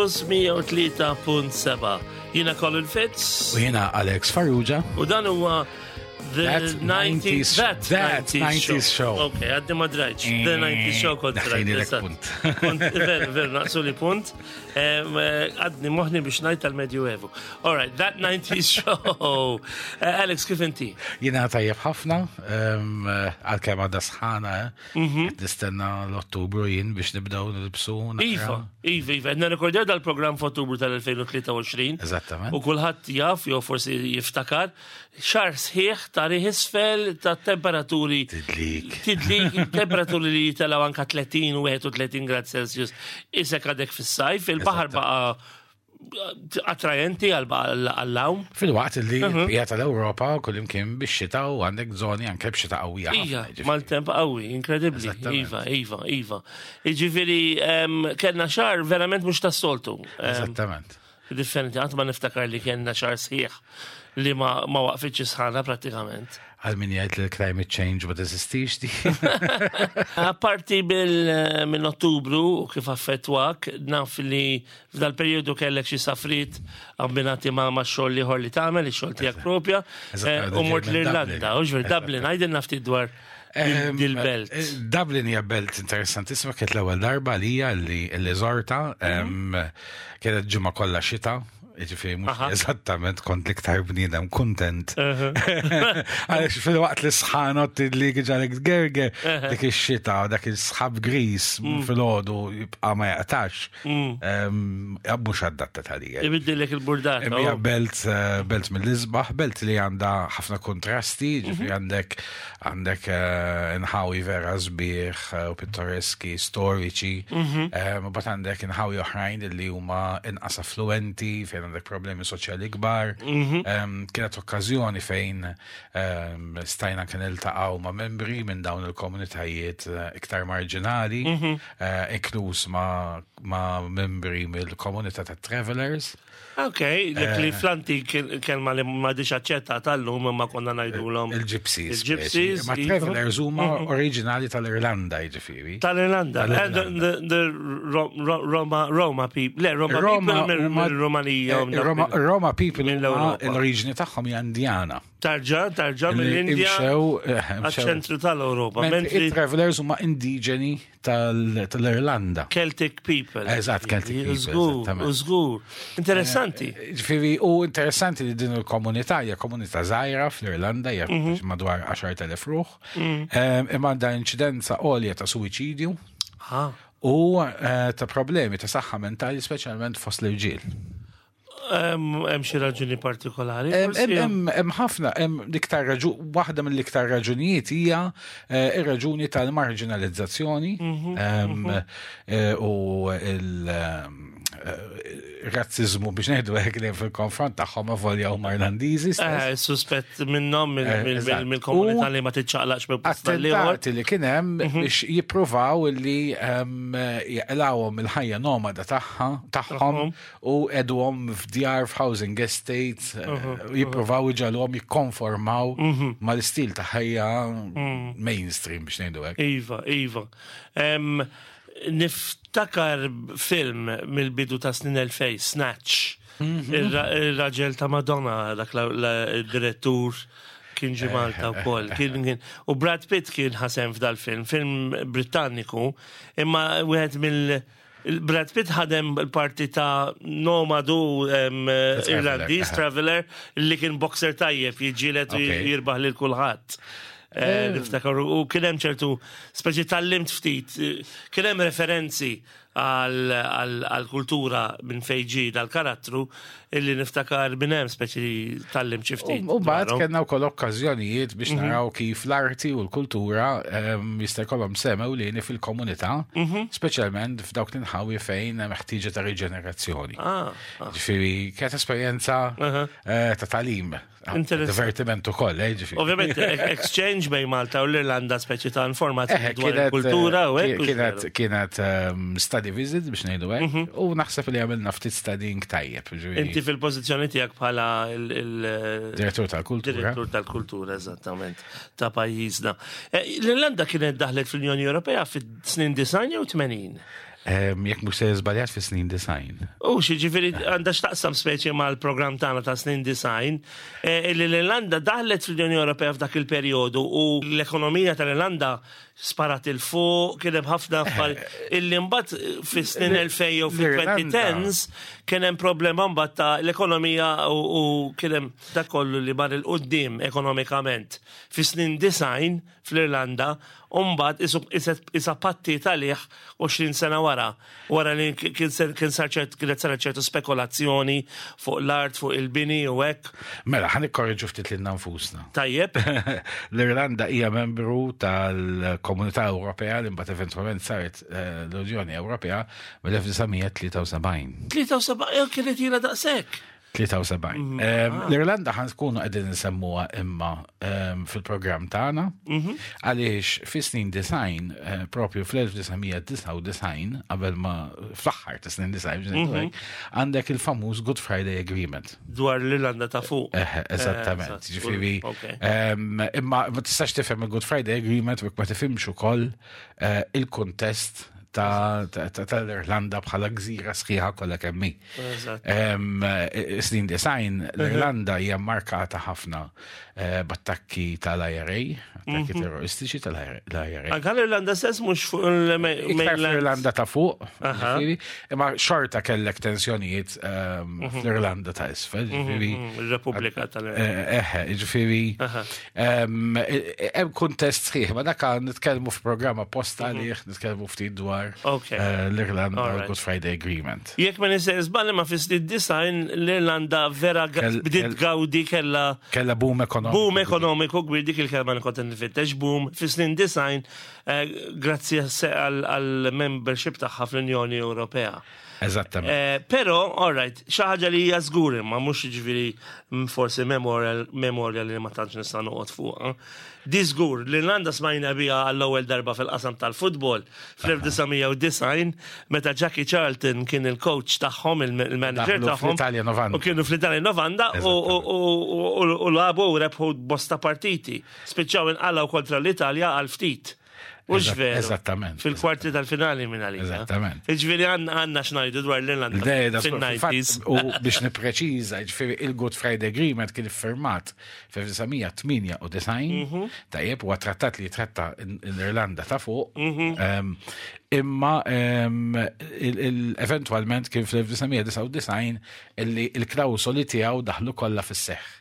Campus 103.7. Jiena Colin Fitz. U jiena Alex Farrugia. U dan huwa The That 90s, 90s that, That 90s, 90s show. Ok, għaddi ma drajċ. The 90s show kont drajt. Daħħejnilek eżatt. punt. Kont, ver, ver, naqsu li punt. Għadni moħni biex najt tal-Medjuevu. All right, that 90s show. Alex, kif inti? Jiena tajjeb ħafna, għalkemm għadha sħana, eh? Qed Nistenna l-Ottubru jien biex nibdew nilbsu. naqra. Iva, Iva, Iva. Għedna rekordjaw dal-program f'Ottubru tal-2023. Eżattament. U kulħadd jaf, jew forsi jiftakar, xar sħiħ ta' riħ isfel ta' temperaturi. Tidlik. Tidlik, temperaturi li jitelaw anka 30 u 31 grad Celsius. Isek għadek fis-sajf, il-baħar baqa attrajenti għall-għawm. Fil-waqt li l-bqija tal-Ewropa kullimkien bix-xita u għandek żoni anke b'xita qawwija. ħafna, Ija, jiġifieri. mal-temp qawwi, inkredibbli. Eżattament. Iva, iva, iva. Iġifieri, kellna xar verament mhux tas-soltu. Eżattament. Differenti, għat ma niftakar li kellna xar sħiħ li ma waqfitx sħana pratikament. Għal min jgħid li l-climate change ma teżistix di. Apparti bil minn Ottubru u kif affettwak, naf li f'dal periodu kellek xi safrit abbinati ma' xogħol ieħor li tagħmel, ix-xogħol tiegħek propja, Eżatt, u mort ġej minn l-Irlanda, Dublin. u ġver Dublin, għajdilna ftit dwar dil-belt. Dublin hija belt interessantissima, kienet l-ewwel darba lija li żorta, kienet ġimgħa kollha xita, jiġifieri mhux eżattament kont l-iktar bniedem kuntent. Għaliex fil-waqt li sħanot li ġalek gerger, dik ix-xita, dak il-sħab gris filgħodu jibqa' ma jaqtax. Mhux adatta għalija. Ibiddilek il-burdata. Hija belt belt mill-isbaħ, belt li għandha ħafna kontrasti, ġifieri għandek inħawi vera sbieħ u pittoreski, storiċi, u bat għandek inħawi oħrajn li huma inqas affluenti, fejn għandek problemi soċjali kbar. Kienet okkażjoni fejn stajna kien iltaqgħu ma' membri minn dawn il-komunitajiet iktar marġinali, inkluż ma' membri mill-komunità ta' travelers. Ok, dik li fl-antik kelma li ma diċ aċċettata tal-lum imma konna ngħidulhom. Il-Gypsies. Il-Gypsies, Ma iva. travelers huma oriġinali tal-Irlanda, jiġifieri. Tal-Irlanda. Tal-Irlanda. The Roma people. Le, Roma people mill-Rumanija. Roma people huma mill-Ewropa. l-oriġini tagħhom hija Indjana. Tarġa, tarġa mill-Indja Imxew, għal-ċentru tal-Ewropa. Mentri Mentri travelers huma indiġeni tal-Irlanda. Celtic people. Eżatt, Celtic people, Żgur, eżattament. żgur. Interessanti. Ġifieri, u interessanti li din il-komunità hija komunità żgħira fl-Irlanda, hija madwar 10,000 ruħ, imma għandha inċidenza għolja ta' suwiċidju u ta' problemi ta' saħħa mentali, speċjalment fost l-irġiel. Hemm xi raġuni partikolari. Hemm forsi? hemm ħafna, hemm l-iktar raġu, waħda mill-iktar raġunijiet hija ir-raġuni tal-marginalizzazzjoni u il-razzizmu biex ngħidu hekk li fil-konfront tagħhom avolja huma Irlandiżi stess. Suspett minnhom Eżatt. mill-komunità U li ma tiċċaqlaqx minn post tal-ieħor. Attentati li kien hemm biex jippruvaw li jaqlawhom il-ħajja nomada tagħha tagħhom u edhom f'djar f'housing estates, jippruvaw iġagħluhom jikkonformaw mal-istil ta' ħajja mainstream biex ngħidu hekk. Iva, iva. Niftakar film mill-bidu ta' snin 2000, Snatch. Il-raġel ta' Madonna, dak il-direttur kien ġi Malta u koll. U Brad Pitt kien ħasem f'dal film, film Britanniku, imma wieħed mill- Brad Pitt ħadem il-parti ta' nomadu Irlandiż, traveler, li kien boxer tajjeb, jiġġieled u jirbaħ lil kulħadd. Niftakar, u kien hemm ċertu, speċi tallimt ftit, kien hemm referenzi għal-kultura minn fejn ġie dal-karattru illi niftakar minn hemm speċi tallimt xi ftit. U mbagħad dwarhom. kellna wkoll okkażjonijiet biex naraw kif l-arti u l-kultura jista' jkollhom sehem ewlieni fil-komunità, speċjalment f'dawk l-inħawi fejn hemm ħtieġa ta' riġenerazzjoni. Ġifieri kienet esperjenza ta' tagħlim, Interessanti. divertiment ukoll, ġifieri. Ovvjament, exchange bejn Malta u l-Irlanda speċi ta' informazzjoni dwar il-kultura u hekk. Kienet study visit biex ngħidu hekk, u naħseb li għamilna ftit studying tajjeb. ġifieri. Inti fil-pożizzjoni tiegħek bħala Direttur tal-kultura. Direttur tal-kultura, eżattament, ta' pajjiżna. L-Irlanda kienet daħlet fl-Unjoni Ewropea fis-snin 90 jew 80? Jekk mhux se żbaljat fis-snin design. U xi ġifieri għandha x'taqsam speċi mal-programm tagħna ta' snin design, eh, illi l-Irlanda daħlet fl-Unjoni Ewropea f'dak il-perjodu u l-ekonomija tal-Irlanda sparat il fuq, kien hemm ħafna affarijiet illi mbagħad fis-snin 2000 jew fil-2010s kien hemm problema mbagħad ta' l-ekonomija u kien hemm dak kollu li mar il-qudiem ekonomikament. Fis-snin design fl-Irlanda u mbagħad isa pattiet għalih 20 sena wara, wara li kien sar ċert kienet saret ċertu spekulazzjoni fuq l-art, fuq il-bini u hekk. Mela, ħa nikkorreġu ftit lilna nfusna. Tajjeb. L-Irlanda hija membru tal-Komunità Ewropea li mbagħad eventwalment saret eh, l-Unjoni Ewropea mill-1973. 73 eh, kienet ilha daqshekk. 73. Mhm. Ah. L-Irlanda ħan tkunu qegħdin nsemmuha imma fil-programm tagħna mhm. għaliex fi snin design eh, propju fl-1999 qabel ma fl-aħħar ta' snin design mhm. għandek il-famuż Good Friday Agreement. Dwar l-Irlanda ta' fuq. Eh, eżattament. Eh, ġifieri imma ma tistax tifhem il-Good Friday Agreement u ma tifhimx ukoll il-kuntest tal-Irlanda bħala gżira sħiħa kollha kemm hi. Snin design, l-Irlanda hija markata ħafna eh, b'attakki tal-IRA, attakki mhm. terroristiċi tal-IRA. Anka l-Irlanda stess mhux fuq il-mainland. L-Irlanda ta' fuq, imma xorta kellek tensjonijiet ehm, mhm. fl-Irlanda ta' isfel, mhm, ġifieri. Il-Repubblika tal-Irlanda. Eh, eh, ġifieri. Hemm kuntest sħiħ, ma dak nitkellmu f'programm apposta għalih, nitkellmu ftit dwar l-Irlanda u Good Friday Agreement. Jekk ma nisejjer żball ma fis-snin design l-Irlanda vera bdiet gawdi kella kella boom ekonomiku. Boom ekonomiku kbir dik il-kelma li kont nfittex boom fis-snin design eh, grazzi għal-membership tagħha fl-Unjoni Ewropea. Eżattament. Eh, però, all right, xi ħaġa li hija żgur imma mhux jiġifieri forsi memorja li ma tantx nista' noqgħod fuqha. Di żgur li l-Irlanda smajna biha għall-ewwel darba fil-qasam tal-futbol fl-1990 meta Jackie Charlton kien il-coach tagħhom, il-manager tagħhom. Fl-Italja 90. U kienu fl-Italja 90 u lagħbu u rebħu bosta partiti. Spiċċaw inqalgħu kontra l-Italja għal ftit. Mhux veru. Eżattament. Fil-kwarti tal-finali minn għalija. Eżattament. Ġifieri għandna x'ngħidu dwar l-Irlanda fil-90s. U biex nippreċiża, ġifieri il-Good Friday Agreement kien iffirmat f'1998, mhm. tajjeb, huwa trattat li jitratta l-Irlanda ta' fuq, mhm. ehm, imma ehm, eventwalment kien fl-1999 illi il-klawsoli tiegħu daħlu kollha fis-seħħ.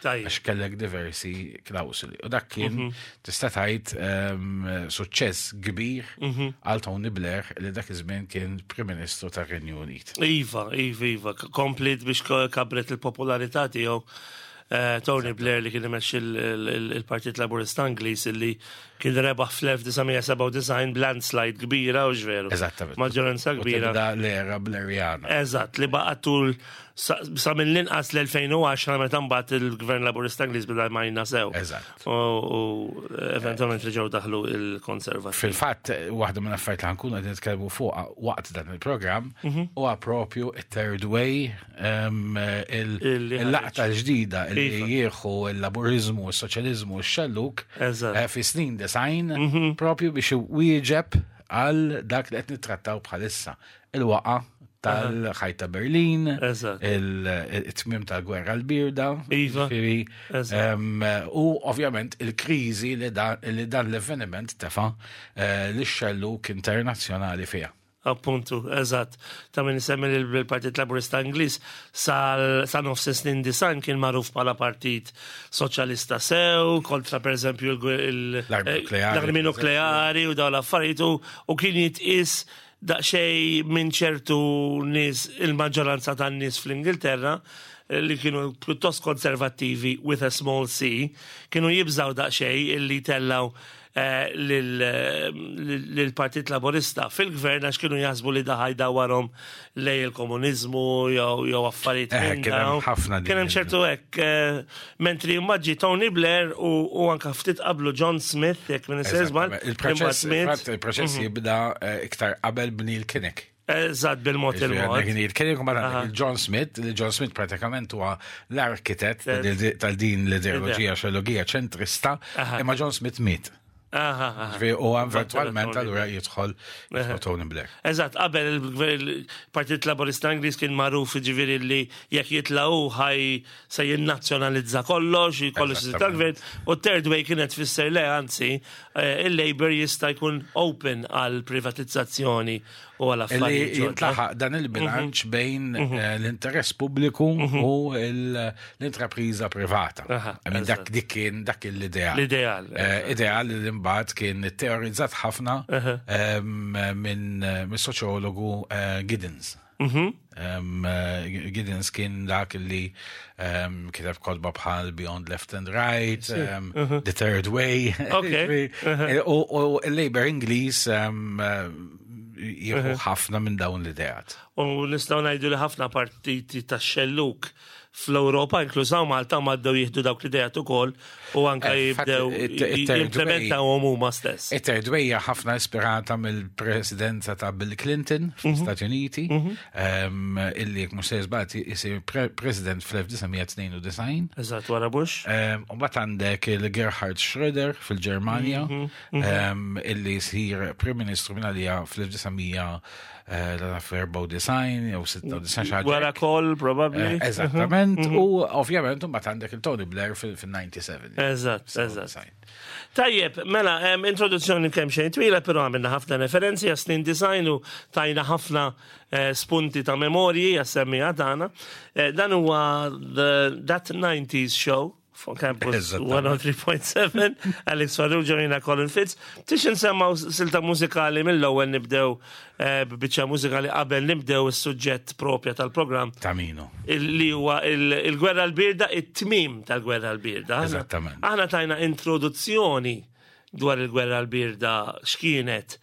Għax kellek diversi klawsuli. U dak kien mhm. tista' tgħid ehm, suċċess kbir mhm. għal Tony Blair li dak iż-żmien kien Prim Ministru tar-Renju Unit. Iva, iva, iva, komplit biex kabret il-popolarità tiegħu eh, Tony Blair li kien imexxi il-Partit Laburista Ingliż illi kien rebaħ fl-1997 b'landslide kbira u ġveru. Eżattament. Maġġoranza kbira. L-era Blairiana. Eżatt, li baqa' tul Sa mill-inqas l-2010 meta mbagħad il-Gvern Laburista Ingliż beda jmajna sew. Eżatt. U eventualment reġgħu daħlu il-Konservattivi. Fil-fatt, waħda minn affarijiet li ħankunu qed nitkellmu fuq waqt dan il-programm mhm. huwa propju it-third way il-laqta l-ġdida li iva. jieħu l-Laburiżmu, s-Soċjaliżmu, x-xelluk eh, fi snin design mhm. propju biex wieġeb għal dak li qed nittrattaw bħalissa il-waqa tal-ħajt ta' Berlin, il-tmim tal-gwerra l-birda, iva. u ovvjament il-krizi li dan l-avveniment tefa eh, l-xelluk internazzjonali fija. Appuntu, eżatt. Ta' min isemmi li l-Partit Laburista Ingliż sa nofs snin disan kien magħruf bħala partit soċjalista sew, kontra per eżempju l-armi nukleari u dawn l-affarijiet u kien jitqis daqsxejn minn ċertu nies, il-maġġoranza tan-nies fl-Ingilterra, li kienu pjuttost konservattivi with a small c, kienu jibżgħu daqsxejn illi jtellgħu eh, lill-Partit Laburista fil-gvern għax kienu jaħsbu li daħaj jdawwarhom lej il-komuniżmu jew affarijiet. Eh, kien hemm ħafna Kien hemm ċertu hekk. Eh, mentri mbagħad Tony Blair u anka ftit qablu John Smith, jekk minn żball. Il-proċess il-proċess mhm. jibda eh, iktar qabel b'Neil Kinnock. Eżatt bil-mod il-mod. Neil Kinnock u John Smith, li John Smith pratikament huwa l-arkitett tal-din l-ideoloġija xelogija ċentrista, imma John Smith miet. U eventualment allura jidħol Tony Blair. Eżatt, qabel il-Partit Laburista Ingliż kien magħruf ġifieri li jekk jitlaqu ħaj se jinnazzjonalizza kollox, kollox tal-gvern, u third way kienet tfisser le anzi, eh, il-Labour jista' jkun open għal privatizzazzjoni u għal affarijiet. Li jintlaħaq dan il-bilanċ mhm. bejn mhm. eh, l-interess pubbliku mhm. u l-intrapriża privata. Dak dik kien dak l-ideal. L-ideal. Eh, ideal li mbagħad kien teorizzat ħafna minn soċjologu eh, Giddens. Giddens kien dak li kiteb kotba bħal Beyond Left and Right, The Third Way. U l-Labour Ingliż jieħu ħafna minn dawn l-ideat. U nistgħu ngħidu li ħafna partiti tax-xellug fl-Ewropa, inkluż hawn Malta, ma bdew jieħdu dawk l-idejat ukoll u anke eh, jibdew jimplementawhom huma stess. It-third way hija ħafna ispirata mill-presidenza ta' Bill Clinton fl-Istati mhm. Uniti, mhm. illi jekk mhux se żbagħad isir president fl-1992. Eżatt wara Bush. U mbagħad għandek il-Gerhard Schröder fil-Ġermanja, mhm, illi jsir Prim Ministru minn għalija fl-1900 Eh, l-94 jew 96 xi ħaġa. Wara kol, probabbli. Eh, eżattament, mhm. u ovvjament mbagħad għandek il-Tony Blair fil-97. Eżatt, eżatt. Tajjeb, mela, introduzzjoni kemm xejn twila, però għamilna ħafna referenzi għas snin design u tajna ħafna eh, spunti ta' memorji għas-semmija tagħna. Dan huwa That 90s Show fuq Campus 103.7, Alex Farrugia jina Colin Fitz. Tix nsemmaw silta mużikali mill-ewwel nibdew eh, b'biċċa mużikali qabel nibdew is-suġġett propja tal-programm. Ta' minu. Li huwa il-gwerra l-birda, it-tmim tal-gwerra l-birda. Eżattament. Aħna tajna introduzzjoni dwar il-gwerra l-birda x'kienet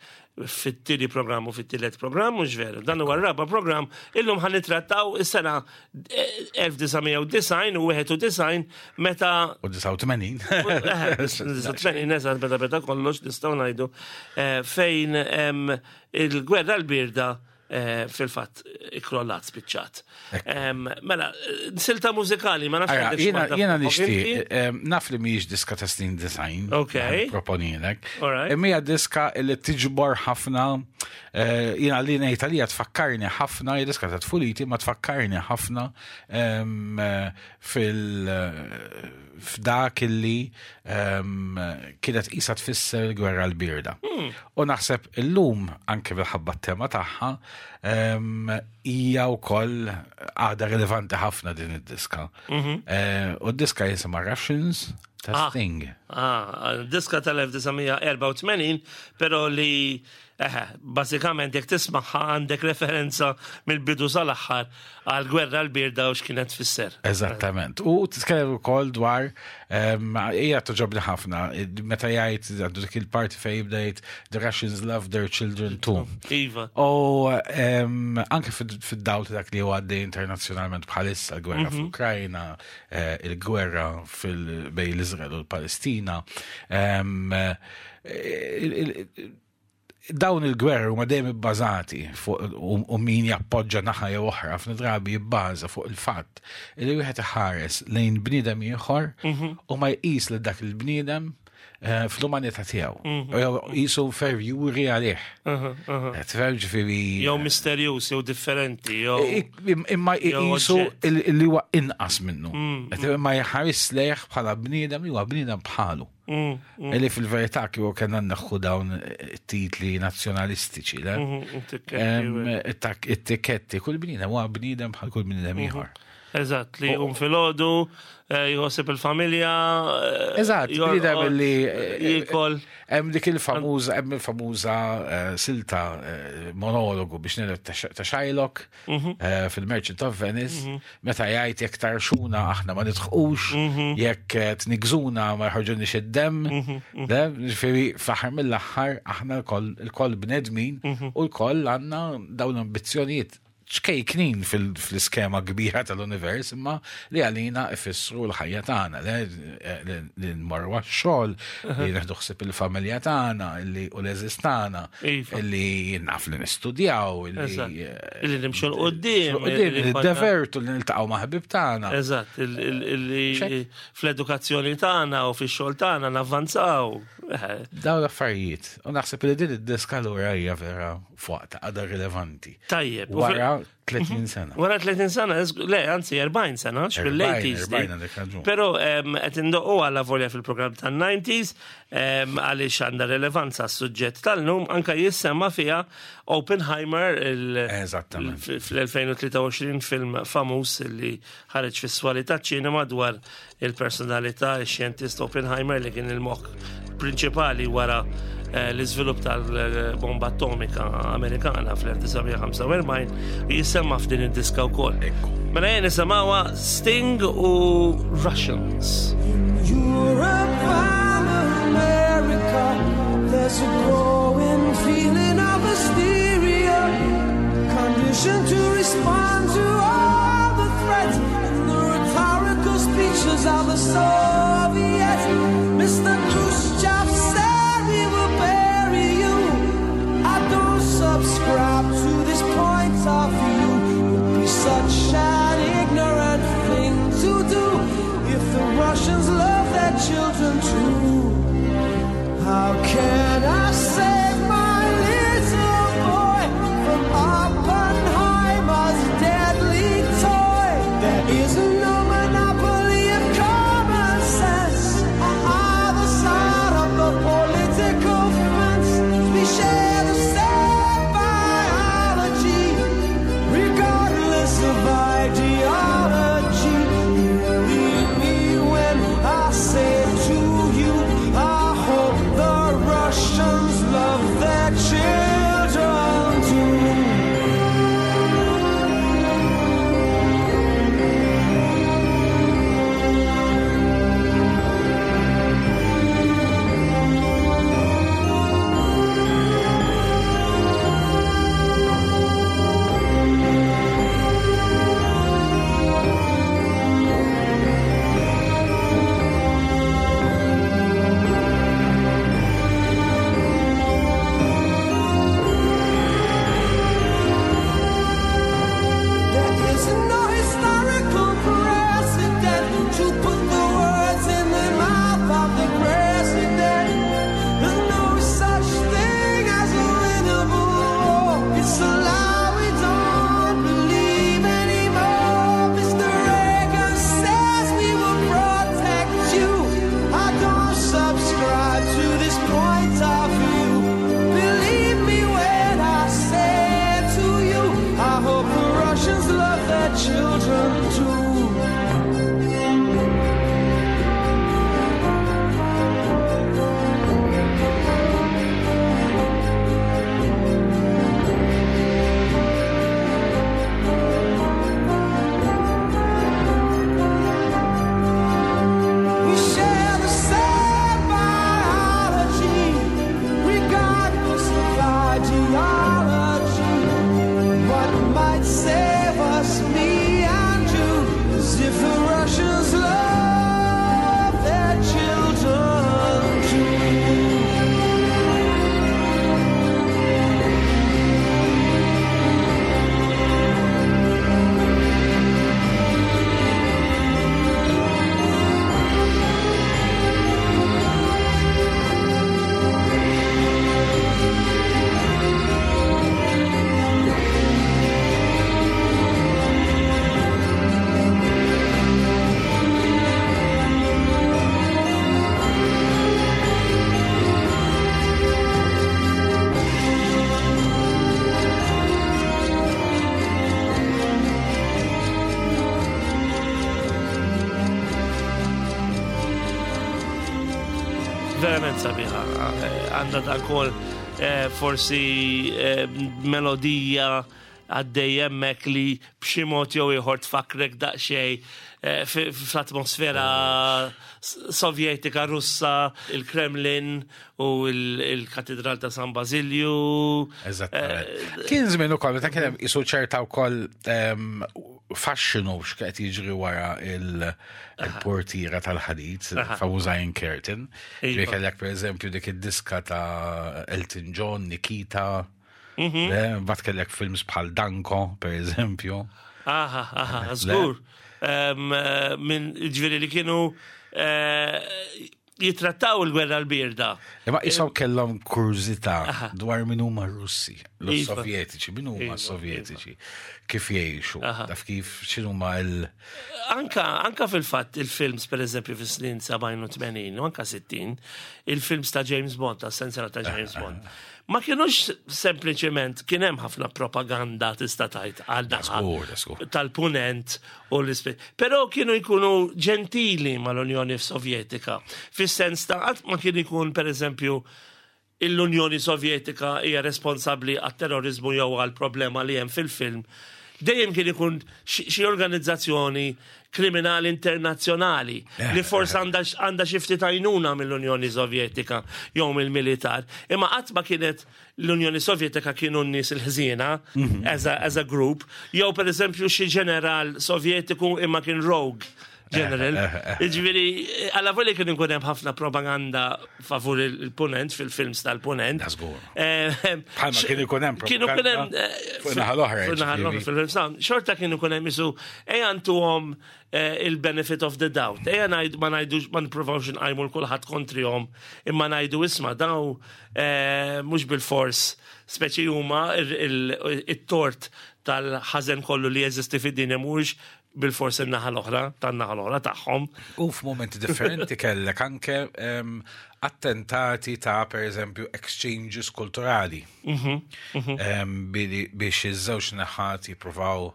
fit-tieni programm u fit-tielet programm, mhux veru. Dan huwa r-raba' programm, illum ħan nittrattaw is-sena 1990 u 91 meta. U 89. 89, eżatt, meta beda kollox nistgħu ngħidu eh, fejn il-gwerra l-birda Eh, fil-fatt ikrollat spiċċat. Mela, silta mużikali, ma nafx. Jena nixtieq, naf li mhijiex diska ta' snin design. Ok. Proponilek. Imma hija diska li tiġbor ħafna, eh, jiena li ngħid għalija tfakkarni ħafna, hija diska ta' tfuliti, ma tfakkarni ħafna fil- f'dak illi kienet qisha tfisser il-gwerra l-birda. U naħseb illum anke minħabba t-tema tagħha hija wkoll għadha rilevanti ħafna din id-diska. Mhm. Eh, u d-diska jisimha Russians ta' ah. Sting. Ah, diska tal-1984, pero li Eħe, bażikament jekk tismagħha għandek referenza mill-bidu sal-aħħar għal gwerra l-birda u x'kienet tfisser. Eżattament. U titkellem ukoll dwar ehm, hija toġobni ħafna meta jgħid għandu dik il-parti fejn jibda jgħid the Russians love their children too. Iva. U ehm, anke fid-dawl ta' dak li huwa għaddej internazzjonalment bħalissa l-gwerra mhm. fl-Ukrajna, eh, il-gwerra fil-bej l-Iżrael u l-Palestina. Ehm, eh, dawn il-gwerri huma dejjem ibbażati fuq u min jappoġġa naħa jew oħra ħafna drabi jibbaża fuq il-fatt li wieħed iħares lejn bniedem ieħor mhm. u ma jqis li dak il-bniedem eh, fl-umanità tiegħu. Mhm. Jew qisu inferjuri għalih. Eh, tifhem ġifieri. Jew misterjuż jew differenti jew. Imma jqisu li huwa inqas minnu. Mm, Imma jħares lejh bħala bniedem li huwa bniedem bħalu. Mm, mm. Illi fil-verità kieku kellna nneħħu dawn titli nazzjonalistiċi, le? Mm-hmm, it-tikketti, kull bniedem huwa bniedem bħal kull bniedem mm-hmm. ieħor. Eżatt, li jqum filgħodu, eh, jħossib il-familja. Eh, Eżatt, bniedem li eh, jiekol. Hemm dik il-famuża, hemm il-famuża silta monologu biex ngħidu ta' Shylock Mhm. Eh, fil-Merchant of Venice, mhm. meta jgħid jekk tarxuna aħna ma nidħqux, mhm. jekk eh, tnigżuna ma jħorġunix id-dem, ġifieri fl-aħħar mill-aħħar aħna l-koll bnedmin u l-koll għandna dawn l-ambizzjonijiet. ċkejknin fil-iskema kbira tal-univers, imma li għalina ifissru l-ħajja tagħna, li nmorru għax-xogħol, li neħdu ħsieb il-familja tagħna, li u l-eżis tagħna, iva. li naf li nistudjaw, li li nimxu l-qoddim, li niddevertu, li niltaqgħu ma' ħbib tagħna. Eżatt, li fl-edukazzjoni tagħna u fix-xogħol tagħna navvanzaw. Dawn l-affarijiet. U naħseb li din id-diska lura hija vera f'waqta għadha rilevanti. Tajjeb. Wara 30 sena. Wara 30 sena, le, anzi 40 sena, fil-80s. Pero qed indoqqu għala volja fil-programm tan-90s għaliex għandha rilevanza s-suġġett tal-lum anka jissemma fiha Oppenheimer fl-2023 film famuż li ħareġ fis-swali taċ-ċinema dwar il-personalità ix-xjentist Oppenheimer li kien il-moħħ prinċipali wara eh, l-iżvilupp tal-bomba atomika Amerikana fl-1945 jisemma f'din id-diska wkoll. Mela jien nisimgħuha Sting u Russians. Europe and America, there's a growing feeling of hysteria, conditioned to respond to all the threats and the rhetorical speeches of the Soviets. Mr. Khrushchev said we will bury you. I don't subscribe to this point of view. It'd be such an ignorant thing to do if the Russians love their children too. How can I save my little boy from Oppenheimer's deadly toy? There is no monopoly of common sense on either side of the political fence. We share the same biology, regardless of ideology. Believe me when I say to you, I hope the Russians love their children too. There is no historical precedent to put the words in the mouth of the president. There's no such thing as a winnable war. It's a lie we don't believe anymore. Mr. Reagan says we will protect you. I don't subscribe to this point of view. Believe me when I say to you, I hope the Russians love their children too. We share the same biology, regardless of ideology. What might save us, me and you, is if the Russians love their children too. Verament sabiħa, għandha dan kol eh, forsi eh, melodija għaddej hemmhekk li b'xi mod jew ieħor tfakkrek daqsxejn eh, fl-atmosfera sovjetika Russa, il-Kremlin u il-Katedral ta' San Basilju. Eżattament. Eh, kien żmien ukoll meta kien hemm isu ċerta wkoll ehm, faxxinu x'qed jiġri wara il-portiera tal-ħadid, famuża Iron Curtain. Iva. Kellek pereżempju dik id-diska ta' Elton John, Nikita. Mhm. Bat kellek films bħal Danko, per eżempju. Aha, aha, żgur. Eh, minn ġviri li kienu eh, jitrattaw il-gwerra l-birda. Imma jisaw kellhom kurżità dwar min huma Russi, l-Sovjetiċi, min huma iva, Sovjetiċi, iva. kif jgħixu, taf kif x'inhuma l. Anka, anka fil-fatt il-films, per eżempju, fis-snin 70 u 80 u anka 60, il-films ta' James Bond, ta' sensera ta' James Bond. Ma kienux sempliċement kien hemm ħafna propaganda tista' tgħid għal naħa tal-punent u l-ispe. Però kienu jkunu ġentili mal-Unjoni Sovjetika. Fis-sens ta' qatt ma kien ikun pereżempju l-Unjoni Sovjetika hija responsabbli għat-terrorizmu jew għal problema li hemm fil-film. Dejjem kien ikun xi organizzazzjoni kriminali internazzjonali eh, li forsi eh. għandha xi ftit għajnuna mill-Unjoni Sovjetika jew mill-militar. Imma qatt ma kienet l-Unjoni Sovjetika kienu n-nies il-ħżiena mhm. as a, as a group, jew pereżempju xi ġeneral Sovjetiku imma kien rogue general. Eh, Ġifieri, għalla voli kien ikun hemm ħafna propaganda favur il-punent fil-films tal-punent. Bħalma kien ikun hemm Kienu kien hemm fuq naħa l-oħra. Fuq naħa l-oħra fil-films Xorta kien ikun hemm isu ejja ntuhom il-benefit of the doubt. Ejja ngħid ma ngħidux ma nippruvawx nqajmu l kulħadd kontrihom imma ngħidu isma' daw mhux bil-fors speċi huma it-tort tal-ħażen kollu li jeżisti fid-dinja mhuwiex bil-fors in-naħa l-oħra, tan-naħa l-oħra tagħhom. U f'momenti differenti kellek anke attentati ta' per eżempju exchanges kulturali. Mhm, mhm. Biex iż-żewġ naħat jippruvaw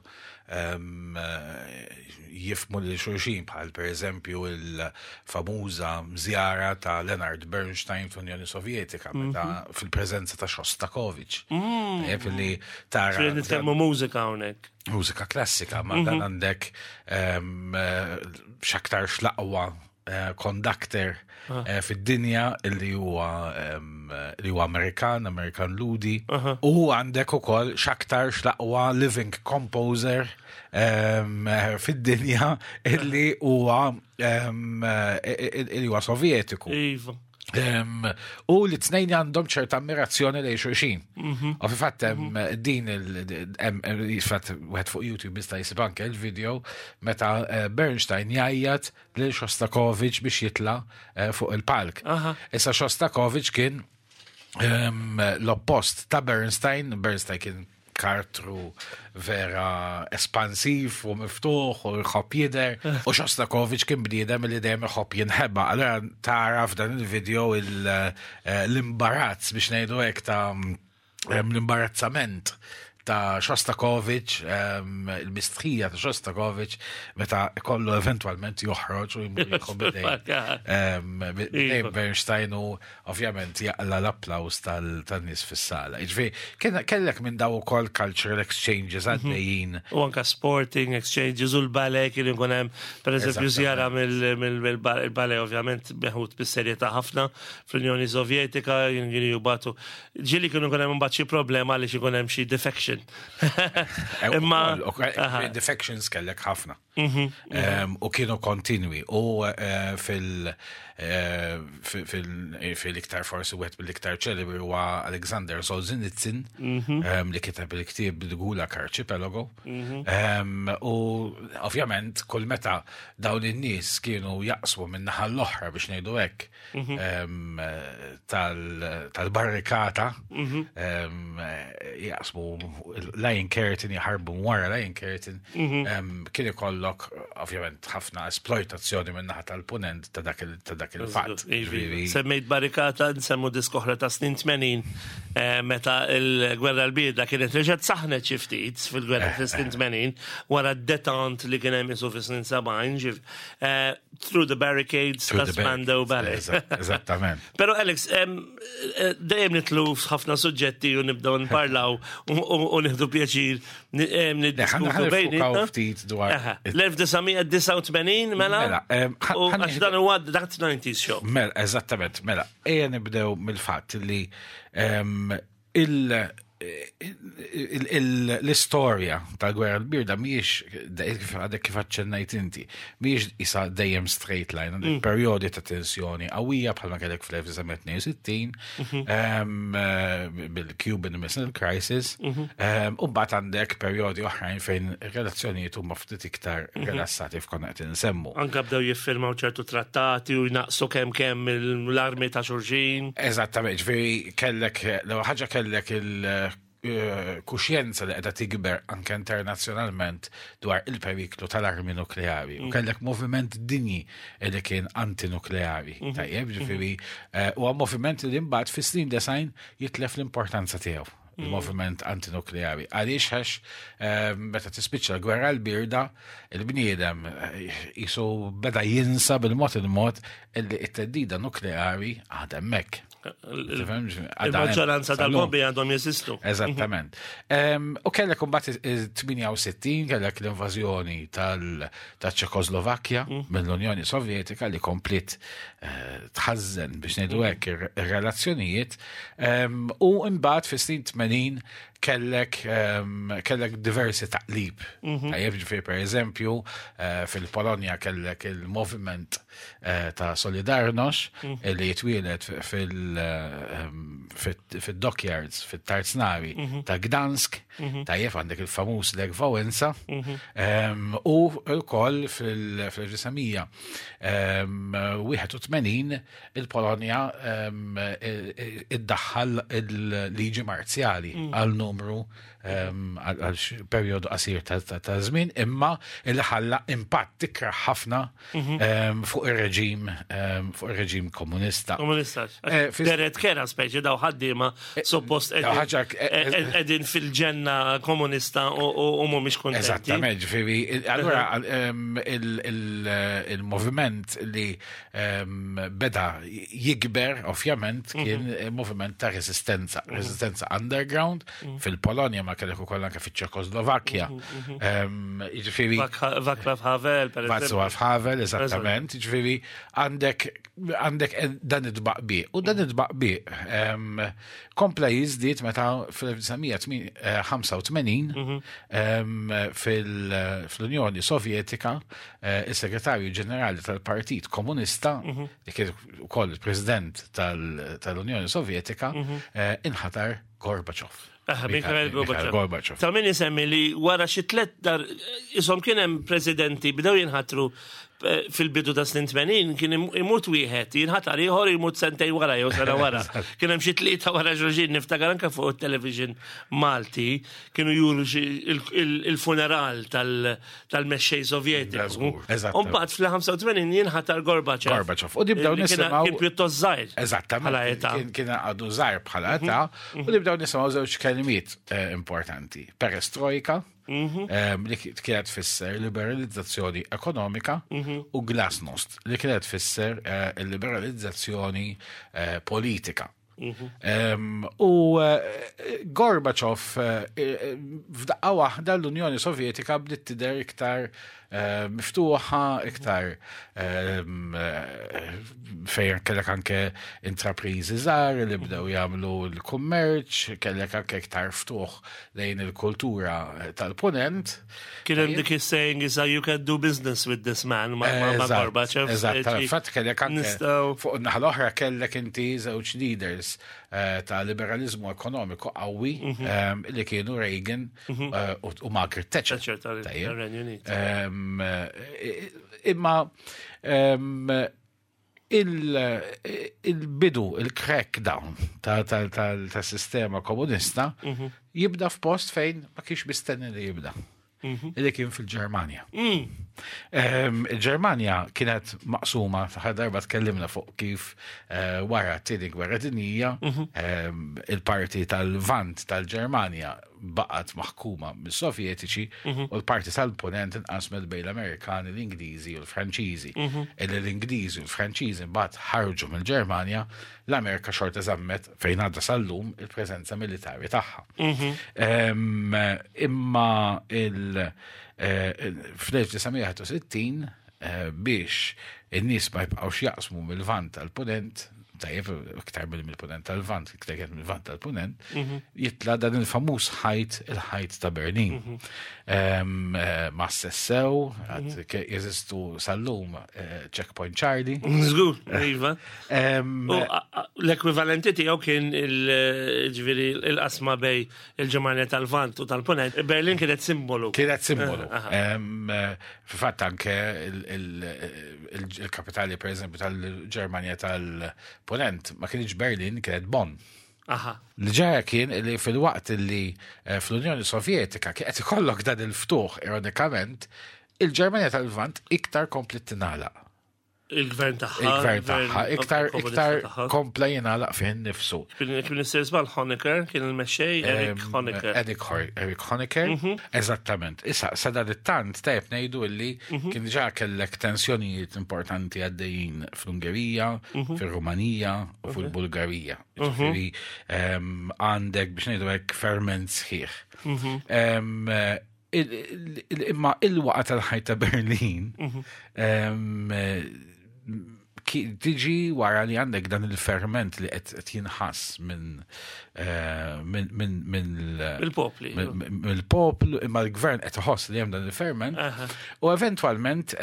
jifmu lil xulxin bħal per eżempju il-famuża żjara ta' Leonard Bernstein fl-Unjoni Sovjetika meta mhm. fil-preżenza ta' Shostakovich. Mm. Li tara. Nitkellmu mużika hawnhekk. Mużika klassika, ma dan mhm. għandek x'aktar xlaqwa conductor ah. eh, fid-dinja li huwa li huwa Amerikan, Amerikan Ludi, u għandek ukoll x'aktar x'laqwa living composer eh, fid-dinja illi huwa illi huwa Sovjetiku. Iva. U li t-tnejn għandhom ċerta ammirazzjoni lejn xulxin. Mhm. U fi fatt hemm mhm. din il-fatt wieħed fuq YouTube jista' jsib anke il-video meta eh, Bernstein jgħajjat lil Shostakovich biex jitla eh, fuq il-palk. Issa Shostakovich kien l-oppost ta' Bernstein, Bernstein kien karattru vera espansiv u miftuħ u jħobb jidher. U Shostakovich kien bniedem li dejjem iħobb jinħeba. Allura tara f'dan il-video eh, l-imbarazz biex ngħidu hekk ta' l-imbarazzament ta' Shostakovich, il-mistħija ta' Shostakovich, meta kollu eventualment joħroġ u jmur jieħu bidejn Bernstein u ovvjament jaqla l-applaws tan-nies fis-sala. Jiġifieri kellek minn daw ukoll cultural exchanges mhm. għaddejjin. U anka sporting exchanges u l-ballet kien ikun hemm pereżempju żjara mill-ballet ovvjament meħud bis-serjetà ħafna fl-Unjoni Sovjetika kienu jibagħtu. Ġieli kienu jkun hemm imbagħad xi problema għaliex ikun hemm xi defection. Eh, Imma defections kellek ħafna. Mhm, mhm. U kienu kontinwi u eh, eh, fil-iktar forsi wieħed mill-iktar ċelebri huwa Alexander Solzhenitsyn mhm. li kiteb il-ktieb The Gulag Archipelago. U ovvjament kull meta dawn in-nies kienu jaqsmu minn naħa l-oħra biex ngħidu hekk Mhm. tal-barrikata mhm. jaqsmu Lion Curtain jaħarbu wara Lion Curtain mhm. kien ikollok ovvjament ħafna esploitazzjoni minn naħa tal-punent ta' dak il-fatt. Semmejt barrikata nsemmu diskoħra ta' snin 80 eh, meta il-gwerra l-birda kienet reġgħet saħnet xi ftit fil-gwerra eh, fis-snin 80 eh. wara d-detant li kien hemm isu fis-snin 70 Through the Barricades ta' Spandau Ballet. Eżattament. Pero Alex, eh, dejjem nitlu f'ħafna suġġetti u nibdew nparlaw u u nieħdu pjaċir niddiskutu bejnietna. ftit dwar. L-1989 mela? Mela, għax dan huwa dak 90s show. Mela, eżattament, mela, ejja nibdew mill-fatt li l-istorja tal-gwerra l-birda mhijiex għadek kif aċċennajt inti, mhijiex isa dejjem straight line, għandek perjodi ta' tensjoni qawwija bħalma kellek fl-1962 bil-Cuban Missile Crisis, u mbagħad għandek perjodi oħrajn fejn ir-relazzjonijiet huma ftit iktar rilassati f'konna qed insemmu. Anka bdew jiffirmaw ċertu trattati u jnaqsu kemm kemm l-armi ta' xulxin. Eżattament, ġifieri kellek l-ewwel ħaġa kellek il-kuxjenza li qiegħda tikber anke internazzjonalment dwar il-periklu tal-armi nukleari. U kellek moviment dinji li kien antinukleari. Tajjeb, ġifieri huwa moviment li mbagħad fis-snin design jitlef l-importanza tiegħu il-moviment antinukleari. Għaliex għax meta tispiċċa l-gwerra l-birda, il-bniedem jisu beda jinsa bil-mod il-mod illi it-teddida nukleari għadha hemmhekk. Il-maġġoranza tal-bombi għandhom jeżistu. Eżattament. U kellek imbagħad il-68 kellek l-invażjoni tal-Ċekoslovakkja mill-Unjoni Sovjetika li kompliet tħażżen biex ngħidu hekk ir-relazzjonijiet. U mbagħad fis-snin 80 kellek diversi taqlib. Tajjeb, ġifieri per eżempju, fil-Polonja kellek il-moviment ta' Solidarność li jitwielet fil-dockyards, fil-Tarznari ta' Gdansk, tajjeb għandek il-famuż Lech Wałęsa, u wkoll fil-1981 il-Polonja iddaħħal il-liġi marzjali għal numru għal perjodu qasir ta' żmien, imma li ħalla impatt ikrah ħafna fuq ir-reġim fuq ir-reġim komunista. Komunista. Deret kera speċi daw ħaddiema suppost qegħdin fil-ġenna komunista u mhumiex kuntenti. Eżattament, ġifieri, allura il-moviment li beda jikber ovvjament kien moviment ta' resistenza, resistenza underground fil-Polonja ma kellek ukoll anke fiċ-Ċekoslovakkja. Jiġifieri Václav Havel, per eżempju. Václav Havel, eżattament. Jiġifieri għandek dan it-tbaqbiq. U dan it-tbaqbiq kompla jiżdied meta fl-1985 fl-Unjoni Sovjetika is-Segretarju Ġenerali tal-Partit Komunista, li kien ukoll il-President tal-Unjoni Sovjetika, inħatar Gorbachev. Mikhail Gorbachev. Ta' min isemmi li wara xi tliet dar isom kien hemm presidenti bdew jinħatru fil-bidu ta' snin 80 kien imut wieħed, jinħatar ieħor imut sentejn wara jew sena wara. Kien hemm xi tlieta wara xulxin niftakar anke fuq it-television Malti kienu juru il-funeral tal-mexxej Sovjetiku. U mbagħad fl-85 jinħatar Gorbachev. Gorbachev. U nibdew nisimgħu. Kien pjuttost żgħir. Eżattament. Kien għadu żgħir bħala età. U nibdew nisimgħu żewġ kelmiet importanti. Perestrojka, li kienet tfisser liberalizzazzjoni ekonomika, u glasnost, li kienet tfisser liberalizzazzjoni politika. U Gorbachev f'daqqa waħda l-Unjoni Sovjetika bdiet tidher iktar miftuħa, iktar fejn kellek anke intrapriżi żgħar li bdew jagħmlu l-kummerċ, kellek anke iktar ftuħ lejn il-kultura tal-punent. Kien hemm dik is-saying is you can do business with this man ma' Gorbachev. Eżatt, fatt kellek anke fuq naħa l-oħra kellek inti żewġ leaders ta' liberalizmu ekonomiku qawwi li kienu Reagan u Margaret Thatcher. Imma il-bidu, il-crackdown ta' sistema komunista jibda f'post fejn ma kienx mistenni li jibda. Illi kien fil-Ġermanja. Il-Ġermanja kienet maqsuma, l-aħħar darba tkellimna fuq kif eh, wara t-tieni gwerra dinjija il-parti tal-Lvant tal-Ġermanja baqgħet maħkuma mis-Sovjetiċi u l-parti tal-Punent inqasmet bejn l-Amerikani, l-Ingliżi u l-Franċiżi. Illi l-Ingliżi u l-Franċiżi mbagħad ħarġu mill-Ġermanja, l-Amerika xorta żammet fejn għadha sal-lum il-preżenza militari tagħha. Imma il eh, fl-1961 eh, biex in-nies ma jibqgħux jaqsmu mill-Lvant tal-Punent, tajjeb, iktar mill-Punent tal-Lvant, iktar kien mill-Lvant tal-Punent, jitla dan il-famuż ħajt, il-ħajt ta' Berlin. Eh, Ma sessew, għad jeżistu sal-lum Checkpoint Charlie. Żgur, iva. L-ekwivalenti tiegħu kien il-ġifieri il-qasma bej il-Ġermanja tal-Lvant u tal-Punent. Berlin kienet simbolu. Kienet simbolu. Fil-fatt anke il-kapitali, per eżempju, tal-Ġermanja tal-Punent ma kienx Berlin, kienet Bonn. Li ġara kien li fil-waqt li eh, fl-Unjoni Sovjetika kien qed ikollok dan il-ftuħ ironikament, il-Ġermanja tal-Lvant iktar komplet tingħalaq. Il-gvern tagħha. Il-gvern tagħha iktar iktar kompla jingħalaq fih innifsu. Kien istess żball Honecker kien il-mexxej Erich Honecker. Erich Honecker, eżattament. Issa sa dan it-tant tajjeb ngħidu illi kien diġà kellek tensjonijiet importanti għaddejjin fl-Ungerija, fir-Rumanija u fil-Bulgarija. Ġifieri għandek biex ngħidu hekk ferment sħiħ. Imma il-waqa tal-ħajt ta' Berlin tiġi wara li għandek dan il-ferment li qed jinħass minn eh, mill-popli. Mill-poplu, imma l-gvern qed iħoss li hemm dan il-ferment. U eventwalment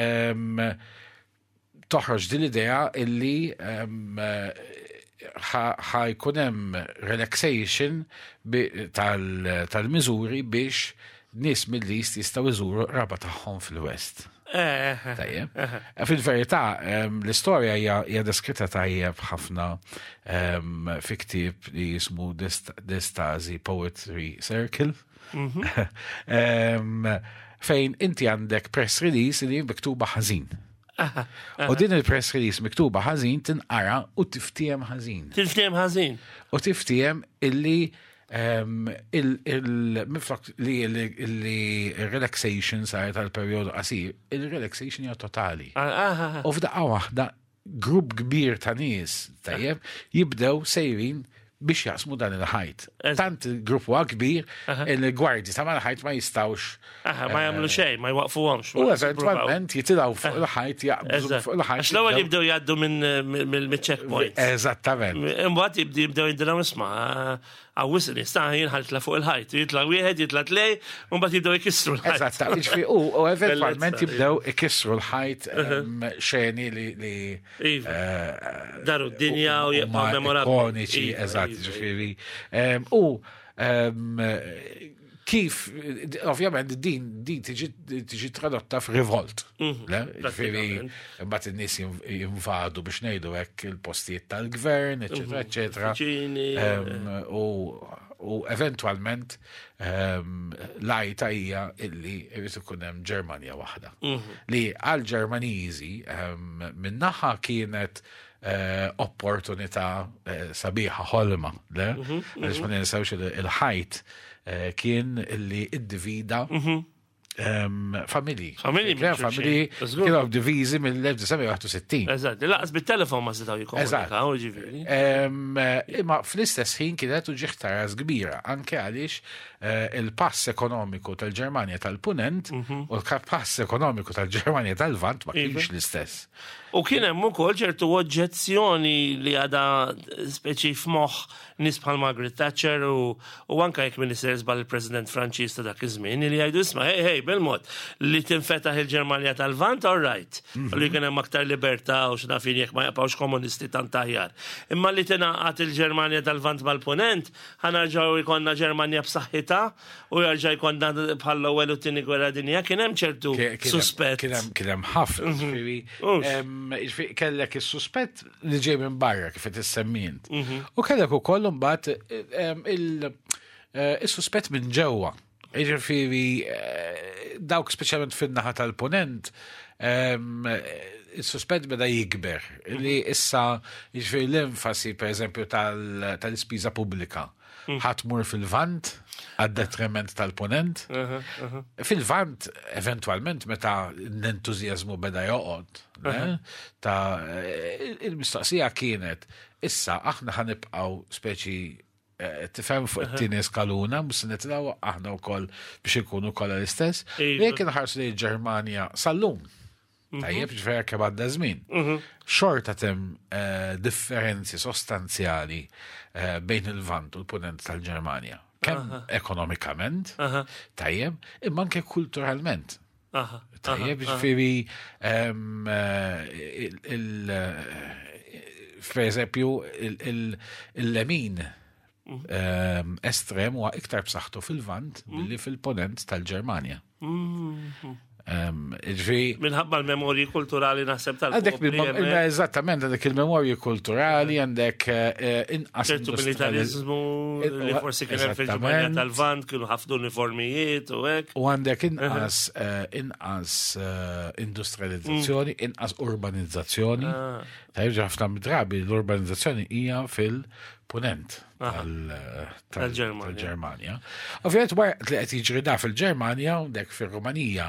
toħroġ din l-idea illi ħa jkun hemm relaxation tal-miżuri biex nies mill-East jistgħu jżuru raba tagħhom fil-West. Eh, eh, Tajjeb. Eh, Fil-verità, l-istorja hija deskritta tajjeb ħafna fi ktieb li jismu The Stasi Poetry Circle. Mhm. Fejn inti għandek press release li miktuba ħażin. U din il-press release miktuba ħażin tinqara u tiftiem ħażin. Tiftiem ħażin. U tiftiem illi il-miflok li il-relaxation saret għal periodu qasir, il-relaxation hija totali. U f'daqqa waħda grupp kbir ta' nies, tajjeb, jibdew sejrin biex jaqsmu dan il-ħajt. Tant il-grupp huwa kbir, il-gwardji ta' mal-ħajt ma jistawx. Aha, ma jagħmlu eh, xejn, ma jwaqfuhomx. U eventwalment jitilgħu fuq il-ħajt jaqbżu fuq il-ħajt. Għax l-ewwel jibdew jgħaddu minn checkpoint. Eżattament. Imbagħad jibdew jgħidilhom isma' Għawis nista' jien ħaltla fuq il-ħajt, jitla wieħed, jitla tlej, u mbagħad jibdew ikissru l-ħajt. Eżatt, jiġifieri u eventwalment jibdew ikissru l-ħajt xeni li iva. eh, daru d-dinja u jibqgħu memorabbli. Ikoniċi, iva, eżatt, iva, ġifieri. U kif, ovvjament, din din tiġi tradotta f'rivolt. Mhm, ġifieri, mbagħad in-nies jinvadu biex ngħidu hekk il-postijiet tal-gvern, eċetera, mhm, eċetera. Eh. U eventwalment l-għajta hija illi jrid ikun hemm Ġermanja waħda. Mhm. Li għal Ġermaniżi min-naħa kienet eh, opportunità eh, sabiħa ħolma, le? Mhm, Għaliex ma mhm. ninsewx il-ħajt eh, kien illi iddivida mhm. familji. Familji, familji kienu diviżi mill-1961. Eżatt, laqas bit-telefon ma setgħu jikkomunikaw, ġifieri. Imma fl-istess ħin kienet uġigħ ta' ras kbira, anke għaliex il-pass ekonomiku tal-Ġermanja tal-Punent u l-pass ekonomiku tal-Ġermanja tal-Lvant ma kienx iva. l-istess. U kien hemm ukoll ċertu oġġezzjoni li għadha speċi f'moħħ nies bħal Margaret Thatcher u, u anke jekk Minister żball il-President Franċiż ta' dak iż-żmien li jgħidu isma' hej hej bil-mod li tinfetaħ il-Ġermanja tal-Lvant all right. U li kien hemm aktar libertà u x'naf jien jekk ma jaqbgħux komunisti tant aħjar. Imma li tingħaqad il-Ġermanja tal-Lvant mal-Punent, ħa nerġgħu jkollna Ġermanja b'saħħitha u jarġa' jkollna bħall-ewwel u t-tieni gwerra dinja, kien hemm ċertu suspett. Kien hemm ħafna, mhm. ġifieri kellek is-suspett li ġej minn barra kif qed issemmi int. Mhm. U kellek ukoll imbagħad eh, is-suspett minn ġewwa. Jiġifieri dawk speċjalment fin-naħa tal-punent, il-suspett beda jikber li issa jiġifieri l-enfasi pereżempju tal-ispiża pubblika ħa tmur fil-Lvant għad-detriment tal-Punent. Fil-Lvant, eventwalment, meta l-entużjażmu beda joqgħod, ta' il-mistoqsija kienet, issa aħna ħa nibqgħu speċi tifhem fuq it-tieni skaluna, mhux se nitilgħu aħna wkoll biex inkunu kollha l-istess. Iva. Jekk inħarsu lejn Ġermanja sal-lum, mhm. tajjeb ġifieri kemm għadda żmien. Mhm. Xorta tem eh, differenzi sostanzjali eh, bejn il-Vant u l-Punent tal-Ġermanja. Kemm ekonomikament, tajjeb, imma anke kulturalment. Tajjeb, ġifieri eh, il per eżempju il-lemin mhm. estrem huwa iktar b'saħħtu fil-Vant mhm. milli fil-ponent tal-Ġermanja. Mhm. Ġifieri. Minħabba l-memorji kulturali naħseb tal Għandek eżattament għandek il-memorji kulturali, għandek eh, inqas. ċertu militarizmu li forsi kien hemm fil-Ġermanja tal-Vant kienu ħafna uniformijiet u hekk. U għandek inqas eh, inqas eh, industrializzazzjoni, mm. inqas urbanizzazzjoni. Ah. Tajjeb ħafna drabi l-urbanizzazzjoni hija fil-punent tal-Ġermanja. Ovvjament wara li qed jiġri da fil-Ġermanja u dek fir-Rumanija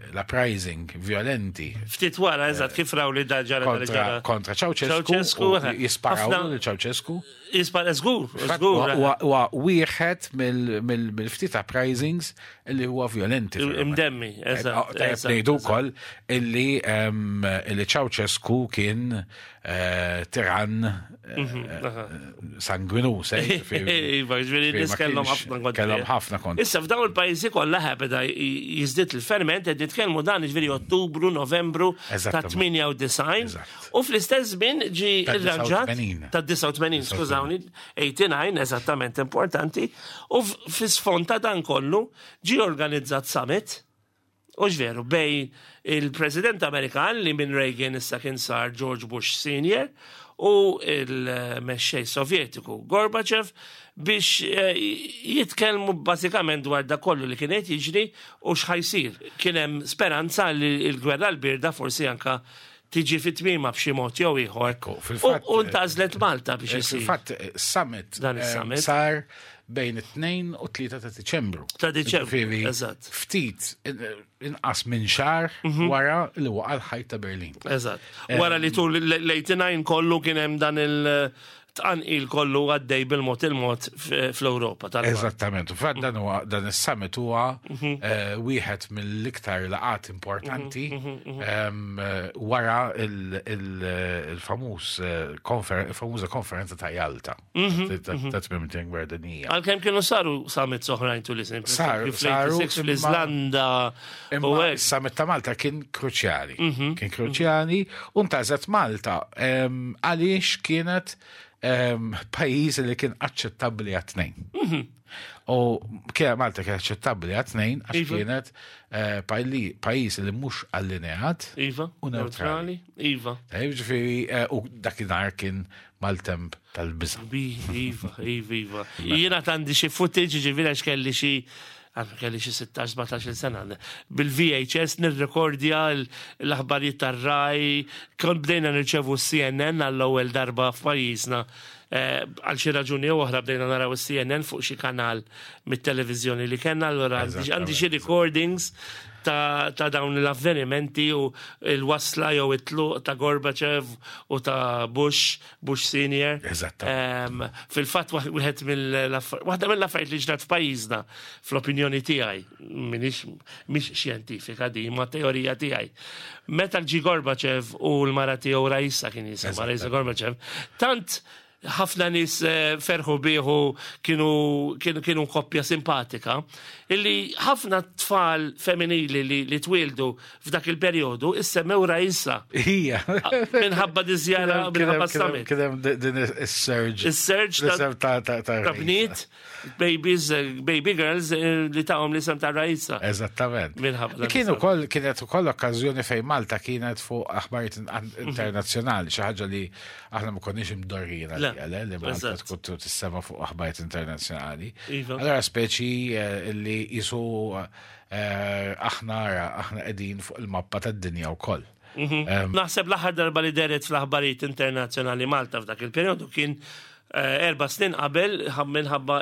l-uprising violenti. Ftit wara, eżatt, kif raw li da ġara kontra Ceausescu, jisparaw lil Ceausescu. Jispara żgur, żgur. Huwa wieħed mill-ftit uprisings li huwa violenti. Imdemmi, eżatt. Tajjeb ngħidu wkoll illi Ceausescu kien eh, tiran eh, mhm, sanguinus. Eh, iva, ġifieri nies kellhom ħafna kontra. Kellhom ħafna kontra. Issa f'dawn il-pajjiżi kollha beda jiżdied il-ferment qed nitkellmu dan ġifieri Ottubru, Novembru ta' 98 u fl-istess żmien ġi irranġat ta' 89, skużawni, 89 eżattament importanti, u fis-sfond ta' dan kollu ġi organizzat summit u veru, bej il-President Amerikan li minn Reagan issa kien sar George Bush Senior u il-mexxej Sovjetiku Gorbachev biex eh, jitkellmu bażikament dwar da kollu li kien qed jiġri u x'ħajsir. Kien hemm speranza li l-gwerra l-birda forsi anka tiġi fi tmiema b'xi mod jew ieħor. U ntgħażlet Malta biex eh, isir. Fil-fatt, eh, summit dan eh, is-summit sar bejn it-2 u 3 ta' Diċembru. Ta' Diċembru. Eżatt. Ftit inqas minn xahar mhm. wara li waqa' l-ħajt ta' Berlin. Eżatt. Wara li tul l-89 kollu kien hemm dan il- tqanqil kollu għaddej bil-mod il-mod fl-Ewropa. Eżattament, u fatt dan huwa dan is-summit huwa mhm. eh, wieħed mill-iktar laqat importanti mhm, mhm, eh, wara il-famuż eh, il-famuża konferenza ta' Jalta ta' tmiem gwerra dinjija. Għalkemm kienu saru summits oħrajn tul is Saru, saru fl-Iżlanda. Imma summit ta' Malta kien kruċjali. Mhm. Kien kruċjali u ntażet Malta għaliex kienet pajjiż li kien aċċettabbli għat-tnejn. Mhm. U kien Malta kien aċċettabbli għat-tnejn għax iva. kienet eh, pajjiż li mhux allineat iva, u neutrali. Iva. Ġifieri eh, u dakinhar kien maltemp tal-biża'. Iva, iva, iva. Jiena għandi xi footage, ġifieri għax kelli xi għandu kelli xi 16-17 sena, bil-VHS nirrekordja l-aħbarijiet tar-Rai, kont bdejna nirċevu CNN għall-ewwel darba f'pajjiżna. Eh, għal xi raġuni jew oħra bdejna naraw is-CNN fuq xi kanal mit-televiżjoni li kellna, allura għandi xi recordings ta', ta dawn l-avvenimenti u l-wasla jew it-tluq ta' Gorbachev u ta' Bush Bush Senior. Eżatt. Fil-fatt wieħed mill waħda mill-affarijiet li ġrat f'pajjiżna fl-opinjoni tiegħi, minix mhix xjentifika di, ma teorija tiegħi. Meta ġi Gorbachev u l-mara tiegħu Raisa kien jisimha Raisa Gorbachev, tant ħafna nies eh, ferħu bieħu kienu kienu koppja simpatika, illi ħafna tfal femminili li, li twildu f'dak il-perjodu issemmew Raisa. Hija. Minħabba di żjara minħabba summit. Kien hemm din is-surge. Is-surge ta' ta' bniet, babies, eh, baby girls eh, li tahom l-isem ta' Raisa. Eżattament. Minħabba. Kien ukoll kienet ukoll okkażjoni fejn Malta kienet fuq aħbarijiet mhm. internazzjonali, xi ħaġa li aħna ma konniex imdorrijin. hija, le, li Malta tkun tissema fuq aħbarijiet internazzjonali. Iva. Allora speċi eh, li jisu eh, aħna ara, aħna qegħdin fuq il-mappa tad-dinja wkoll. Naħseb l-aħħar darba li deret fl-aħbarijiet internazzjonali Malta f'dak il-perjodu kien eh, erba' snin qabel minħabba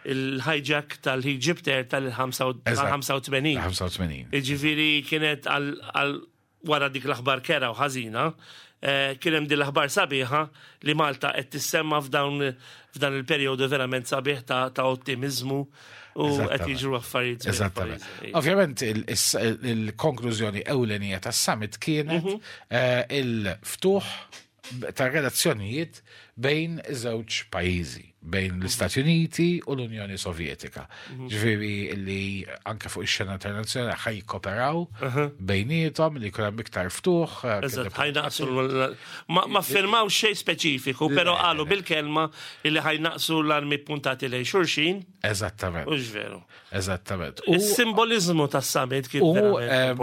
il-hijack tal-Egypt Air tal-85. 85. Iġifieri kienet għal wara dik l-aħbar kera u ħażina, eh, kien hemm din l-aħbar sabiħa li Malta qed tissemma f'dawn f'dan il-perjodu verament sabiħ ta', ta ottimizmu u qed Eżattament. jiġru affarijiet sbieħ Eżattament. f'pajjiżna. Ovvjament il-konklużjoni ewlenija tas-summit kienet eh, il-ftuħ ta' relazzjonijiet bejn iż-żewġ pajjiżi, bejn l-Istati Uniti u l-Unjoni Sovjetika. Ġifieri li anke fuq ix-xena internazzjonali ħaj jikkoperaw bejniethom li jkun hemm iktar ftuħ. eh, Eżatt, ħajnaqsu l- ma, ma firmaw xejn speċifiku, però qalu bil-kelma li ħajnaqsu l-armi puntati lejn xulxin, Eżattament, u veru. eżattament. U Is-simbolizmu tas-summit kien U verament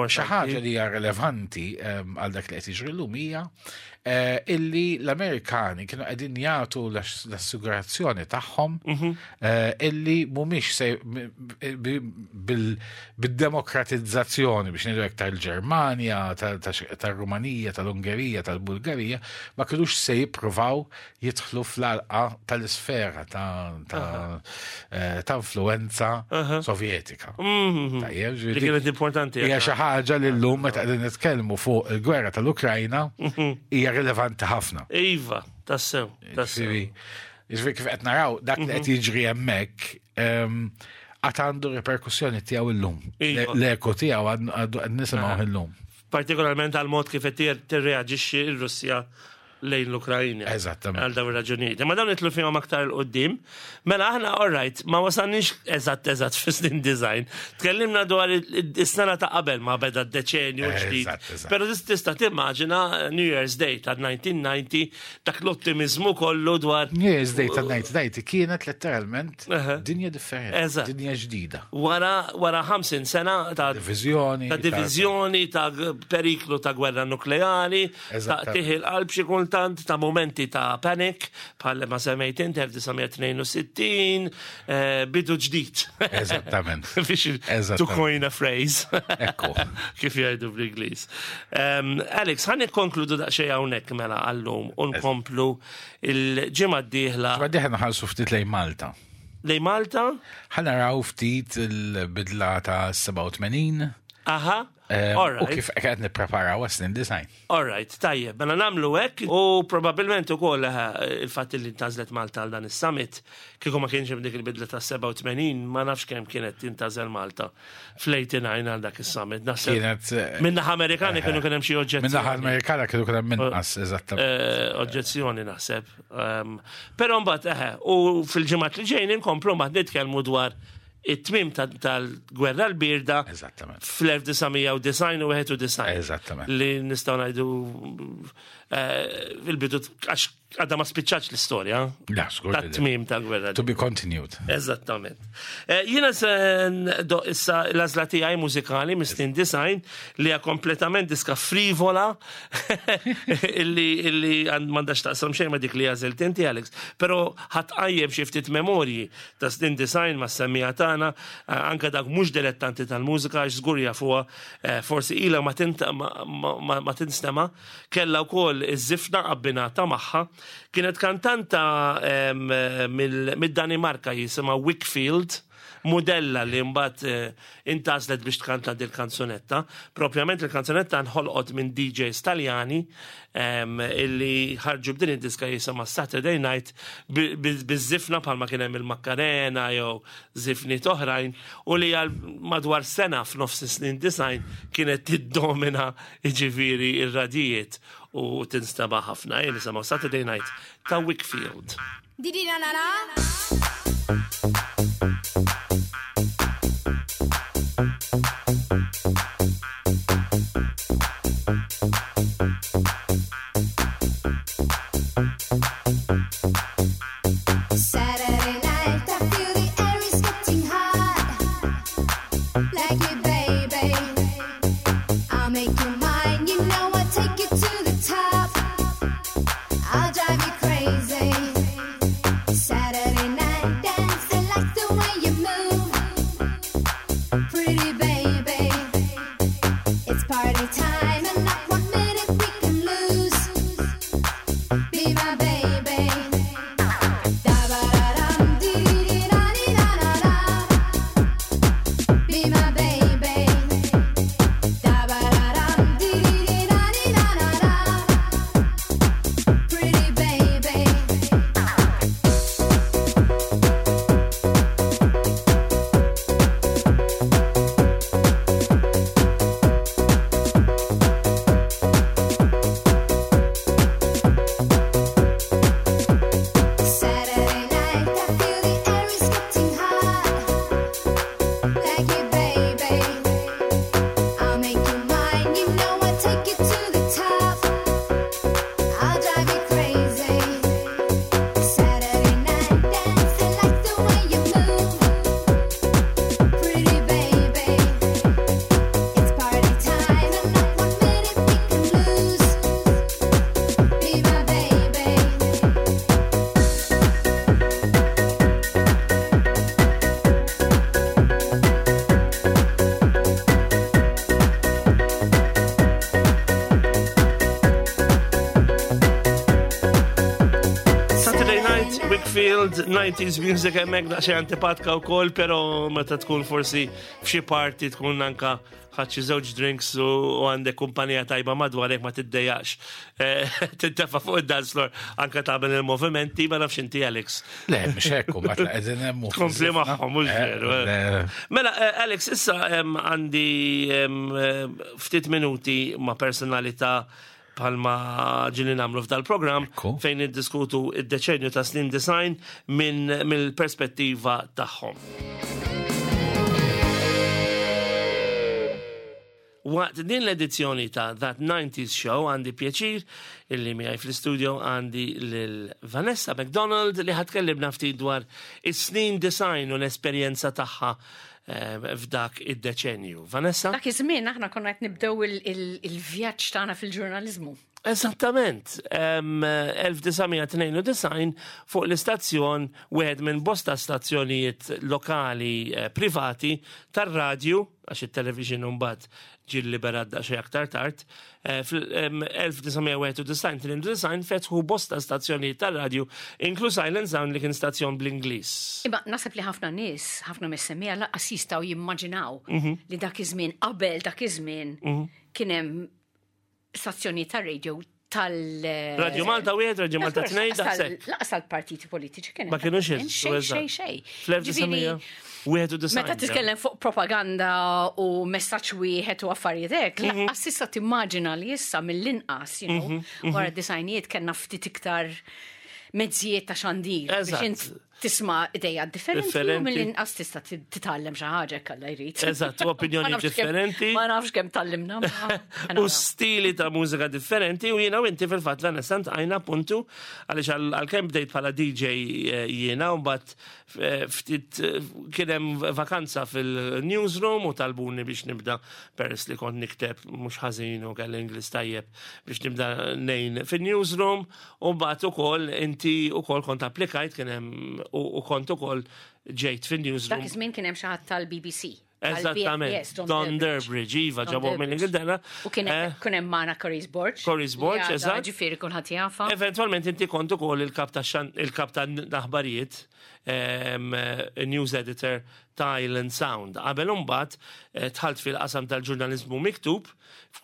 xi importanti. ħaġa li hija relevanti għal dak li qed jiġri llum hija eh, illi l-Amerikani kienu qegħdin jagħtu l-assigurazzjoni tagħhom eh, illi mhumiex se bid-demokratizzazzjoni biex ngħidu hekk tal-Ġermanja, tal-Rumanija, tal-Ungerija, tal-Bulgarija, ma kinux se jippruvaw jidħlu fl-alqa tal-isfera ta' ta' eh, ta' influenza sovjetika. Tajjeb, Li ġifieri kienet importanti. Hija xi ħaġa li llum meta qegħdin nitkellmu fuq il-gwerra tal-Ukrajna hija rilevanti ħafna. Iva, tassew, tassew. Ġifieri ġifieri kif qed naraw dak li qed jiġri hemmhekk għad għandu reperkussjoni tiegħu llum. Iva. L-eko tiegħu għadu qed nisimgħu illum. Partikolarment għal mod kif qed tirreaġixxi r-Russja lejn l-Ukrajna. Eżattament. Għal dawn ir-raġunijiet. Ma dawn nitlu fihom aktar 'l quddiem. Mela aħna all right, ma wasalniex eżatt eżatt fis-snin design. Tkellimna dwar is-sena ta' qabel ma beda d-deċenju ġdid. Eżatt, eżatt. Però tista' timmaġina New Year's Day ta' 1990 dak l-ottimizmu kollu dwar New Year's Day ta' 1990 kienet letteralment Aha. dinja differenti, Eżatt. dinja ġdida. wara wara 50 sena ta' Divizjoni. ta' divizjoni, ta' periklu ta' gwerra nukleari, ta' Eżattament. tiħil qalb xi kultant, ta' momenti ta' panic, bħal ma semmejt inti 1962, eh, bidu ġdid. Eżattament. Biex to Eżattament. coin a phrase. Ekku. Kif jgħidu bl-Ingliż. Um, Alex, ħan nikkonkludu daqsxejn hawnhekk mela għallum u nkomplu il-ġimgħa d-dieħla Ma diħen ħalsu ftit lejn Malta. lej Malta. Ħa naraw ftit il-bidla ta' 87. Aha. U All right. kif qed nippreparaw għas-snin design. All right, tajjeb, mela namlu hekk u probabbilment ukoll eh, il-fatt li ntażlet Malta għal dan is-summit, kieku ma kienx hemm dik il-bidla ta' 87, ma nafx kemm kienet tintażel Malta fl-89 għal dak is-summit. Naħseb Kienet eh, Min-naħa Amerikani kienu kien hemm xi oġġezzjoni. Min-naħa Amerikana kienu kien hemm inqas eżattament. Eh, oġġezzjoni naħseb. Però mbagħad eħe, u fil-ġimgħat li ġejjin inkomplu mbagħad nitkellmu dwar it-tmim tal-gwerra l-birda Eżattament. fl-1990 u 91. Eżattament. Li nistgħu ngħidu eh, fil-bidu għax għadha ma spiċċax l-istorja La, skur. li le. tat-tmim tal-gwerra. To be continued. Eżattament. Eh, Jiena se ndoq issa l-għażla tiegħi mużikali mis-snin design li hija kompletament diska frivola illi illi m'għandax taqsam xejn ma dik li għażilt inti Alex, però ħatqajjem xi ftit memorji ta' snin design ma' semmija tagħna eh, anke dak mhux dilettanti tal-mużika għax żgur jafuha eh, forsi ilha ma tinta- ma- ma ma- ma tinstema' kellha wkoll iż-żifna abbinata magħha. Kienet kantanta em, mill- mid-Danimarka jisimha Wickfield, modella li mbagħad eh, intażlet biex tkanta dil kanzunetta. Propjament il-kanzunetta nħolqot minn DJs Taljani em, illi ħarġu b'din id-diska jisimha Saturday Night biż-żifna bħalma kien hemm il-Makkarena jew żifniet oħrajn u li għal madwar sena f'nofs is-snin design kienet tiddomina jiġifieri ir-radijiet u tinstema' ħafna. Jien nisimgħu Saturday Night ta' Wickfield. Didi na na na. Saturday night, I feel the air is getting hot. Like me, baby. I'll make you mine. You know I'll take you to the top. I'll drive you crazy. McDonald, 90s music hemmhekk daqsxejn antipatka wkoll, però meta tkun forsi f'xi party tkun anka ħadd xi żewġ drinks u għandek kumpanija tajba madwarek ma tiddejjaqx. Eh, tintefa' fuq id-dance floor anka tagħmel il-movimenti, ma nafx inti Alex. Le, mhux hekk, u mbagħad qegħdin hemm. Tkompli magħhom, mhux eh, veru. Eh. Mela, Alex, issa għandi ftit minuti ma' personalità bħalma ġili namlu f'dal-program fejn niddiskutu id-deċenju ta' snin design minn mill-perspettiva tagħhom. Waqt din l-edizzjoni ta' That 90s Show għandi pjaċir illi miegħi fl-istudio għandi lil Vanessa McDonald li ħatkellimna ftit dwar is-snin design u l-esperjenza tagħha f'dak id-deċenju. Vanessa? Dak iż-żmien aħna konna qed nibdew il-vjaġġ tagħna fil-ġurnaliżmu. Eżattament. 1992 fuq l-istazzjon wieħed minn bosta stazzjonijiet lokali eh, privati tar-radju għax it-television mbagħad ġie liberat daqsxejn aktar tard, eh, fl-1991 fetħu bosta stazzjonijiet tar-radju, inkluż Island Sound li kien stazzjon bl-Ingliż. Imma naħseb li ħafna nies, ħafna mis-semmiegħa lanqas jistgħu jimmaġinaw mhm. li dak iż-żmien qabel dak iż-żmien mhm. kien hemm stazzjonijiet tar-radio tal. Radio Malta wieħed, Radio Malta tnejn, daqshekk. Laqas tal-partiti politiċi kien. Ma kienux xejn, xejn, xejn. Fl-1991. Meta titkellem fuq propaganda u messaġġ wieħed u affarijiet hekk, mhm. laqas issa timmaġina li issa mill-inqas, you know, mhm, mhm. wara d-disajnijiet kellna ftit iktar mezzijiet ta' xandir. Eżatt. Tisma' ideja differenti u mill-inqas tista' titgħallem xi ħaġa jekk Alla jrid. Eżatt, u opinjoni differenti. Ma nafx kemm tgħallimna. U stili ta' mużika differenti u jiena u inti fil-fatt Vanessa ntqajna appuntu għaliex għalkemm bdejt bħala DJ eh, jiena u mbagħad eh, ftit eh, kien hemm vakanza fil-newsroom u talbuni biex nibda peress li kont nikteb mhux ħażin u kelli Ingliż tajjeb biex nibda nejn fin-newsroom U mbagħad ukoll inti ukoll kont applikajt kien hemm u kont ukoll ġejt fin-newsroom. Dak iż-żmien kien hemm xi ħadd tal-BBC. Eżattament. Don Durbridge, iva, ġabuh mill-Ingilterra. U kien eh? hemm magħna Coris Borg. Coris Borg, eżatt. Ġifieri kulħadd jafa. Eventwalment inti kont ukoll il-kap ta' il-kap ta' aħbarijiet, news editor ta' Island Sound. Qabel imbagħad eh, dħalt fil-qasam tal-ġurnaliżmu miktub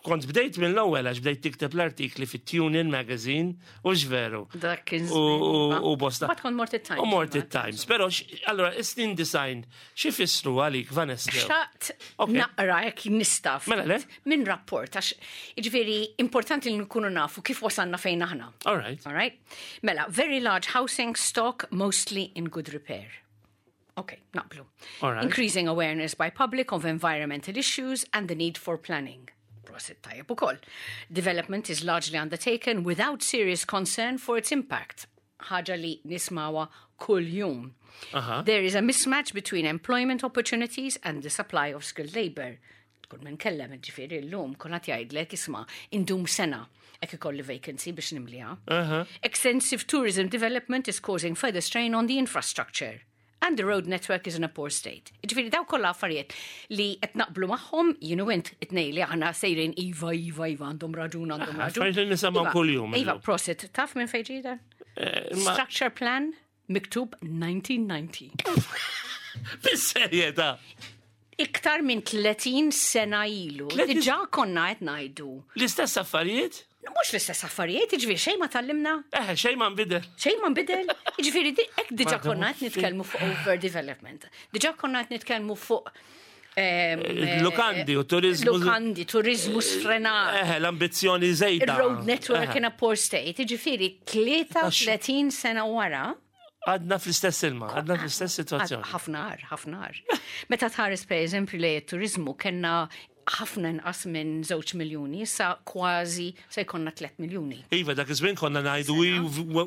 Kont bdejt mill-ewwel għax bdejt tikteb l-artikli fit-Tune In Magazine, u veru. Dak kien U bosta. Bat kont mort it-Times. U mort it-Times. Però, allora, is-snin design, xi fissru għalik, Vanessa? Xtaqt naqra jekk nista' Mela le? Minn rapport, għax jiġifieri importanti li nkunu nafu kif wasalna fejn aħna. All right. All right. Mela, very large housing stock, mostly in good repair. Ok, naqblu. Right. Increasing awareness by public of environmental issues and the need for planning. Prosit tajjeb ukoll. Development is largely undertaken without serious concern for its impact. Ħaġa li nismawa kull jum. Uh -huh. There is a mismatch between employment opportunities and the supply of skilled labor. Kull minn kellem ġifieri llum kulħadd jgħidlek isma' indum sena hekk ikolli vacancy biex nimliha. Uh -huh. Extensive tourism development is causing further strain on the infrastructure and the road network is in a poor state. Ġifieri daw kollha affarijiet li qed naqblu magħhom, jien u int it-tnejn li aħna sejrin iva, iva, iva, għandhom raġun, għandhom raġun. Affarijiet li nisimgħu Iva, kuljum. Iva, prosit, taf minn fejn ġie dan? Eh, ma- Structure plan miktub 1990. Fis-serjetà. Iktar minn 30 sena ilu. 30 Diġà konna qed ngħidu. L-istess affarijiet? Mhux l-istess affarijiet, jiġifieri xejn ma tgħallimna. Eh, xejn ma nbidel. Xejn ma nbidel. Jiġifieri hekk diġà konna qed nitkellmu fuq overdevelopment. Diġà konna qed nitkellmu fuq ehm, eh, Lukandi u turizmu. Lukandi, turizmu sfrenat. Eh, l-ambizzjoni żejda. Il-road network in a poor state, jiġifieri 33 sena wara. Għadna fl-istess ilma, għadna fl-istess situazzjoni. Ħafna għar, ħafna għar. Meta tħares per eżempju li turizmu kena ħafna inqas minn 2 miljuni, issa kważi se jkollna 3 miljuni. Iva, dak iż-żmien konna ngħidu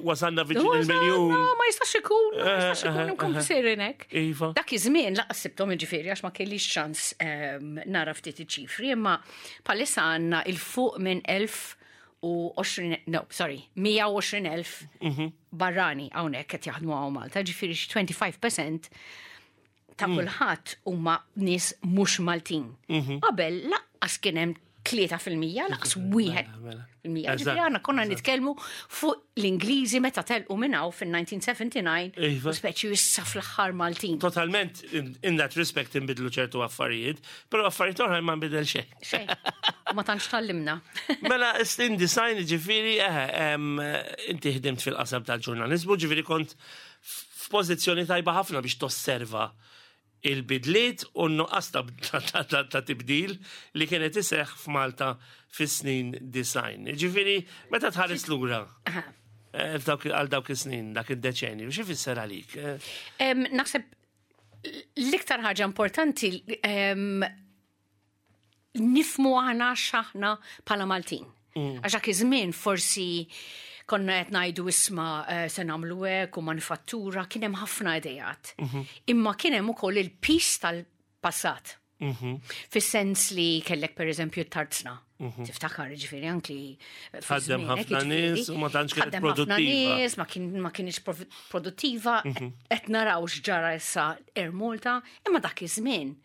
wasalna viċin il-miljun. No, ma jistax ikun, ma jistax ikun eh, inkomplu eh, eh. sejrin hekk. Iva. Dak iż-żmien laqas sibthom jiġifieri għax ma kellix ċans ehm, nara ftit iċ-ċifri, imma palissa għandna il-fuq minn 1020, no, sorry, 120,000 mhm. barrani hawnhekk qed jaħdmu hawn Malta, ġifieri xi 25% ta' mm. kulħadd huma nies mhux Maltin. Mhm. Qabel laqqas kien hemm 3%, lanqas wieħed Mela. fil-mija. Eżatt, Ġifieri aħna konna nitkellmu fuq l-Ingliżi meta telqu minn hawn fin-1979 Iva. u speċi issa fl-aħħar Maltin. Totalment, in that respect, inbidlu ċertu affarijiet, pero affarijiet oħra ma nbidel xejn. Xejn. U Ma tantx tallimna. Mela, in design ġifiri, eh, inti ħdimt fil-qasam tal-ġurnalizmu, ġifiri kont f'pożizzjoni tajba ħafna biex tosserva il-bidliet u n-nuqqas ta' tibdil li kienet iseħ f'Malta fis-snin design. Ġifiri, meta tħares lura għal dawk is-snin, dak id-deċenju, xi fisser għalik? Naħseb l-iktar ħaġa importanti nifmu aħna x'aħna bħala Maltin. Għax dak iż-żmien forsi konna qed ngħidu isma' se nagħmlu hekk u manifattura, kien hemm ħafna idejat. Imma kien hemm ukoll il-pis tal-passat. Fis-sens li kellek per eżempju t-tarzna. Tiftakar ġifieri anki Tħaddem ħafna nies u ma tantx kienet Tħaddem ħafna produttiva. nies, ma kienx produttiva, qed naraw x'ġara issa Air Malta, imma dak iż-żmien.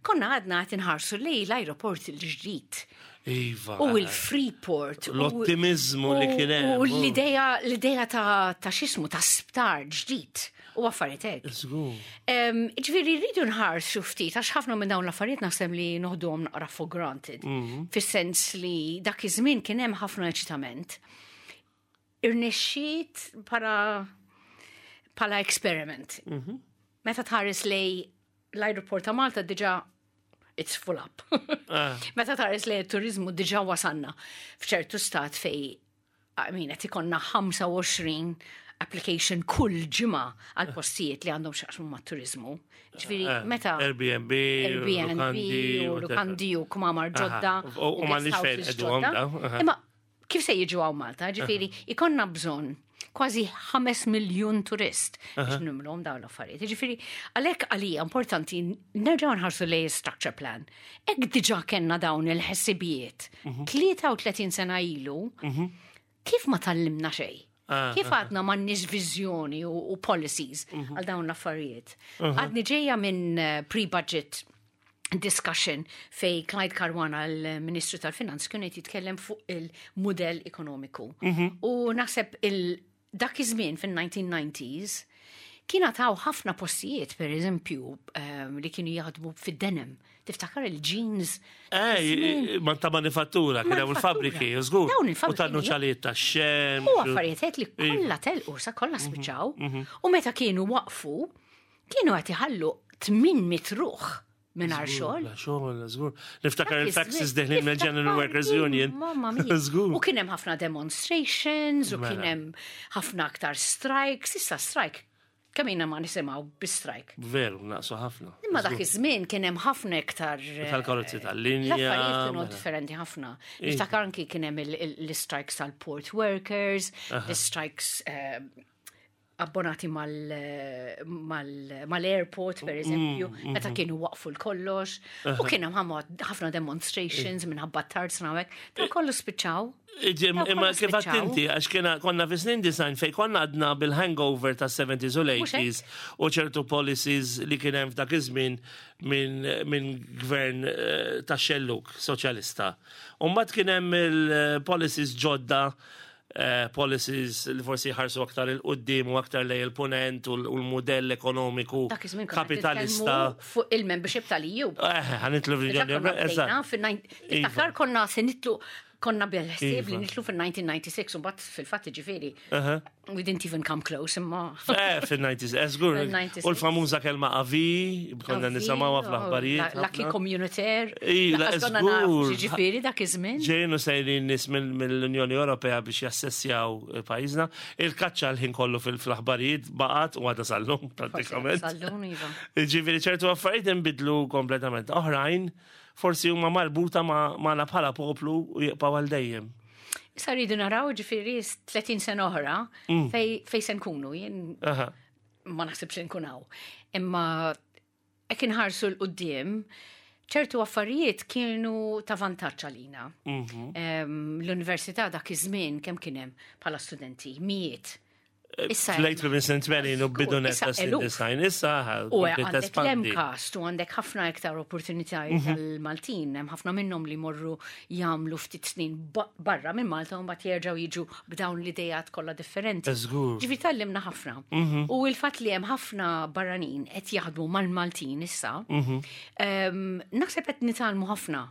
Konna għadna qed inħarsu lej l-ajruport il-ġdid Iva. u il-Freeport. L-ottimizmu li kien hemm. U l-idea ta' xismu ta' sptar ġdid u affarijiet hekk. Żgur. Ġifieri rridu nħarsu ftit, għax ħafna minn dawn l-affarijiet naħseb li noħduhom naqra for granted. Fis-sens li dak iż-żmien kien hemm ħafna eċitament. Irnexxiet pala experiment. Meta tħares lej l-aeroport ta' Malta diġà it's full up. Meta tħares lej turizmu diġà wasanna f'ċertu stat fej I mean, qed ikonna 25 application kull ġimgħa għal postijiet li għandhom x'jaqsmu mat-turizmu. Ġifieri meta Airbnb, Airbnb lukandi, u whatever. lukandi u kmamar ġodda. U guest m'għandniex fejn houses qegħduhom ġodda. daw, aha. Imma kif se jiġu hawn Malta? Ġifieri ikonna bżonn kważi 5 miljun turist biex nimlhom dawn l-affarijiet. Ġifieri għalhekk għalija importanti nerġgħu nħarsu lej structure plan. Hekk diġà kellna dawn il-ħsibijiet. 33 sena ilu, kif ma tallimna xejn? Kif għadna m'għandniex viżjoni u policies għal dawn l-affarijiet? Għadni ġejja minn pre-budget discussion fej Clyde Caruana, l-Ministru tal-Finanz, kien qed jitkellem fuq il-modell ekonomiku. U naħseb dak iż-żmien fin-1990s kien għataw ħafna postijiet, per eżempju, li kienu jaħdmu fid-denim. Tiftakar il-jeans? Ma ta' manifattura, kien hemm il-fabriki, żgur. Dawn U il-fabriki. ta' nuċalijiet ta' xem. U affarijiet hekk li kollha telqu sa kollha spiċċaw. U meta kienu waqfu, kienu qed iħallu 800 ruħ mingħajr xogħol. Xogħol, żgur. Niftakar Dak il-faxes iż-żmien. deħlin mill-General Niftakar Workers din, Union. Mamma mia. Żgur. U kien hemm ħafna demonstrations, u Mela. kien hemm ħafna aktar strikes, issa strike. Kemm ilna ma nisimgħu bi-strike. Veru, naqsu ħafna. Imma dak iż-żmien kien hemm ħafna iktar Tal-karozzi tal-linja, L-affarijiet kienu mela. differenti ħafna. Niftakar anki kien hemm l-strikes tal-port workers, l-strikes abbonati mal-airport, per eżempju, meta kienu waqfu l-kollox, u kien hemm ħafna demonstrations minħabba t-tarzna u hekk, dan kollu spiċċaw. Imma Dawn kollha kif spiċċaw. inti, għax kiena konna fi snin design fej konna għadna bil-hangover ta' 70s u l-80s u ċertu policies li kien hemm f'dak iż-żmien minn gvern ta' xelluk soċjalista. U mbagħad kien hemm il-policies ġodda policies li forsi jħarsu aktar il-qoddim u aktar lej il-punent u l-modell ekonomiku Dak iż-żmien konna qed kapitalista. nitkellmu fuq il-membership tal-EU. Ħanitlu Diġà fil-Unjoni konna Ewropea. bdejna eżatt. fin-nine- Tiftakar konna se nitlu konna bil-ħsieb li Iva. nitlu fin-1996 u mbagħad fil-fatt ġifieri we didn't even come close imma Fil-90s, żgur. Fil-96. U l-famuża kelma avi, konna nisimgħuha fl-aħbarijiet. L-acquis ħafna. communautaire. Ila, Lanqas konna nafu żgur. Ġifieri dak iż-żmien. Ġejnu sejrin nis mill-Unjoni Ewropea biex jassessjaw pajjiżna. Il-kaċċa l-ħin kollu fil-aħbarijiet baqgħet u għadha sal-lum pratikament. Sal-lum, iva. Ġifieri ċertu affarijiet inbidlu kompletament. Oħrajn forsi huma marbuta magħna bħala poplu u jibqgħu għal dejjem. Issa rridu naraw ġifieri 30 sena oħra fej se nkunu. Jien ma naħsibx li nkun hawn. Imma hekk inħarsu 'l quddiem ċertu affarijiet kienu ta' vantaġġ għalina. L-università dak iż-żmien kemm kien hemm bħala studenti, mijiet. Issa Late minn snin 80 u bidu net Issa ta' snin eluf. design, issa U kompliet għandek tespandi. l-MCAST u għandek ħafna iktar opportunitajiet tal-Maltin, hemm ħafna minnhom li morru jagħmlu ftit snin barra minn Malta u mbagħad jerġgħu jiġu b'dawn l-idejat kollha differenti. Żgur. Ġifieri tgħallimna ħafna. U il-fatt li hemm ħafna barranin qed jaħdmu mal-Maltin issa, naħseb qed nitgħallmu ħafna.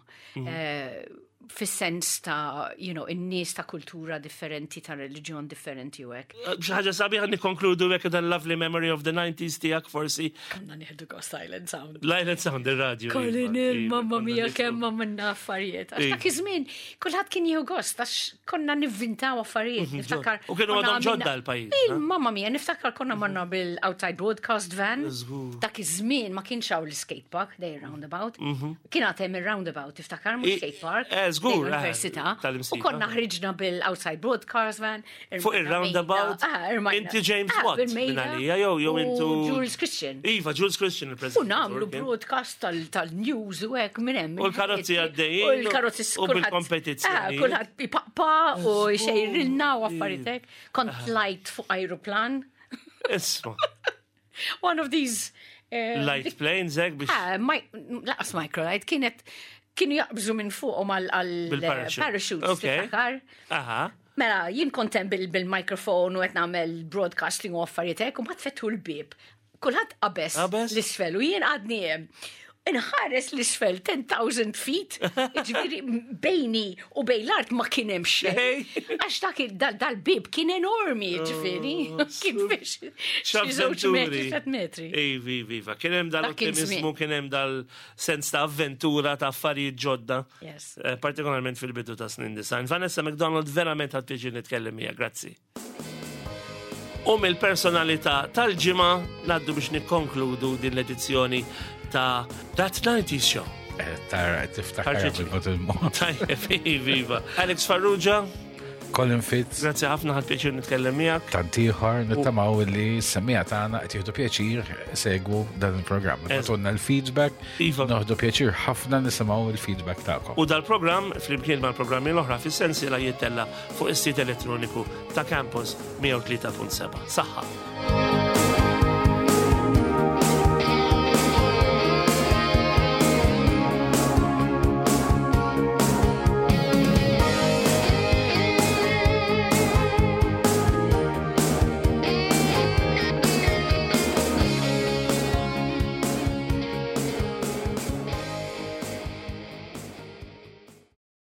Eh, fis-sens ta' you know, in-nies ta' kultura differenti, ta' reliġjon differenti u hekk. Xi ħaġa sabiħa nikkonkludu hekk dan lovely memory of the 90s tiegħek forsi. Konna nieħdu gost Silent Sound. Lajlet Sound ir-radju. Colin, iva, iva, mamma konna mia, nieħdu. kemm għamilna affarijiet. Għax Iva. dak iż-żmien kulħadd kien jieħu gost għax konna nivvintaw affarijiet. Niftakar. Mhm, U kienu konna għadhom għamilna- ġodda l-pajjiż, Il, ha? Mamma mia, niftakar konna marna bil-outside broadcast van. Żgur. Dak iż-żmien ma kienx hawn l-skate park, dej roundabout. Kien għad hemm ir-roundabout, tiftakar mhux Mhm. I- skate park. eh, żgur, dej eh, l-Università. tal-Imsida. U konna ħriġna bil-outside broadcast van. Fuq ir-roundabout, Ah, irmajna- inti James ah, Watt bil-mejda minn għalija, jew u intu Jules Christian. Iva, Jules Christian U il-president. namlu broadcast tal-news u hekk minn hemm. U l-karozzi għaddejjin U l-karozzi u bil-kompetizzjoni. Ah, Kulħadd ipaqpa u xejrilna u affarijiet hekk. Kont tlajt fuq aeroplan. Isma, One of these. eh, light planes hekk biex Ah, laqas microlight kienet kienu jaqbżu minn fuqhom Bil-parachute. għal-parachutes. Okay. tiftakar? Aha. Mela, jien kontem bil-mikrofon u qed nagħmel broadcasting u affarijiet hekk u ma tfettu l-bib. Kulħadd qabeż Qabeż? l-isfel u jien għadni hemm. Inħares l-isfel 10,000 feet, ġifieri bejni u bejn l-art ma kien hemm xejn. Xejn. Għax dak dal-bib kien enormi, ġifieri. Kien fiex xi żewġ metri, tliet metri. Ivi, ivi, iva. Kien hemm Dak kien dal-ottimizmu, żmien. kien hemm dal-sens ta' avventura, ta' affarijiet ġodda. Yes. Eh, Partikolarment fil-bidu ta' snin design. Vanessa McDonald verament ħadd tiġi nitkellem miegħek, grazzi. U mill-personalità tal-ġimgħa ngħaddu biex nikkonkludu din l-edizzjoni ta' That 90s Show. Eh, Tara, tiftakar Ħarġitli. bil-mod il-mod. Tajjeb, ivi, iva. Alex Farrugia, Colin Fitz, grazzi ħafna ħadd pjaċir nitkellem miegħek. tantiħor nittamaw li s-semmija tagħna qed jieħdu pjaċir segwu dan il-programm. Batunna l-feedback, Iva. noħdu pjaċir ħafna nisimgħu il-feedback tagħkom. U dal-programm, flimkien mal-programmi l-oħra fis-sensiela jittella fuq is-sit elettroniku ta' Campus 103.7. Saħħa.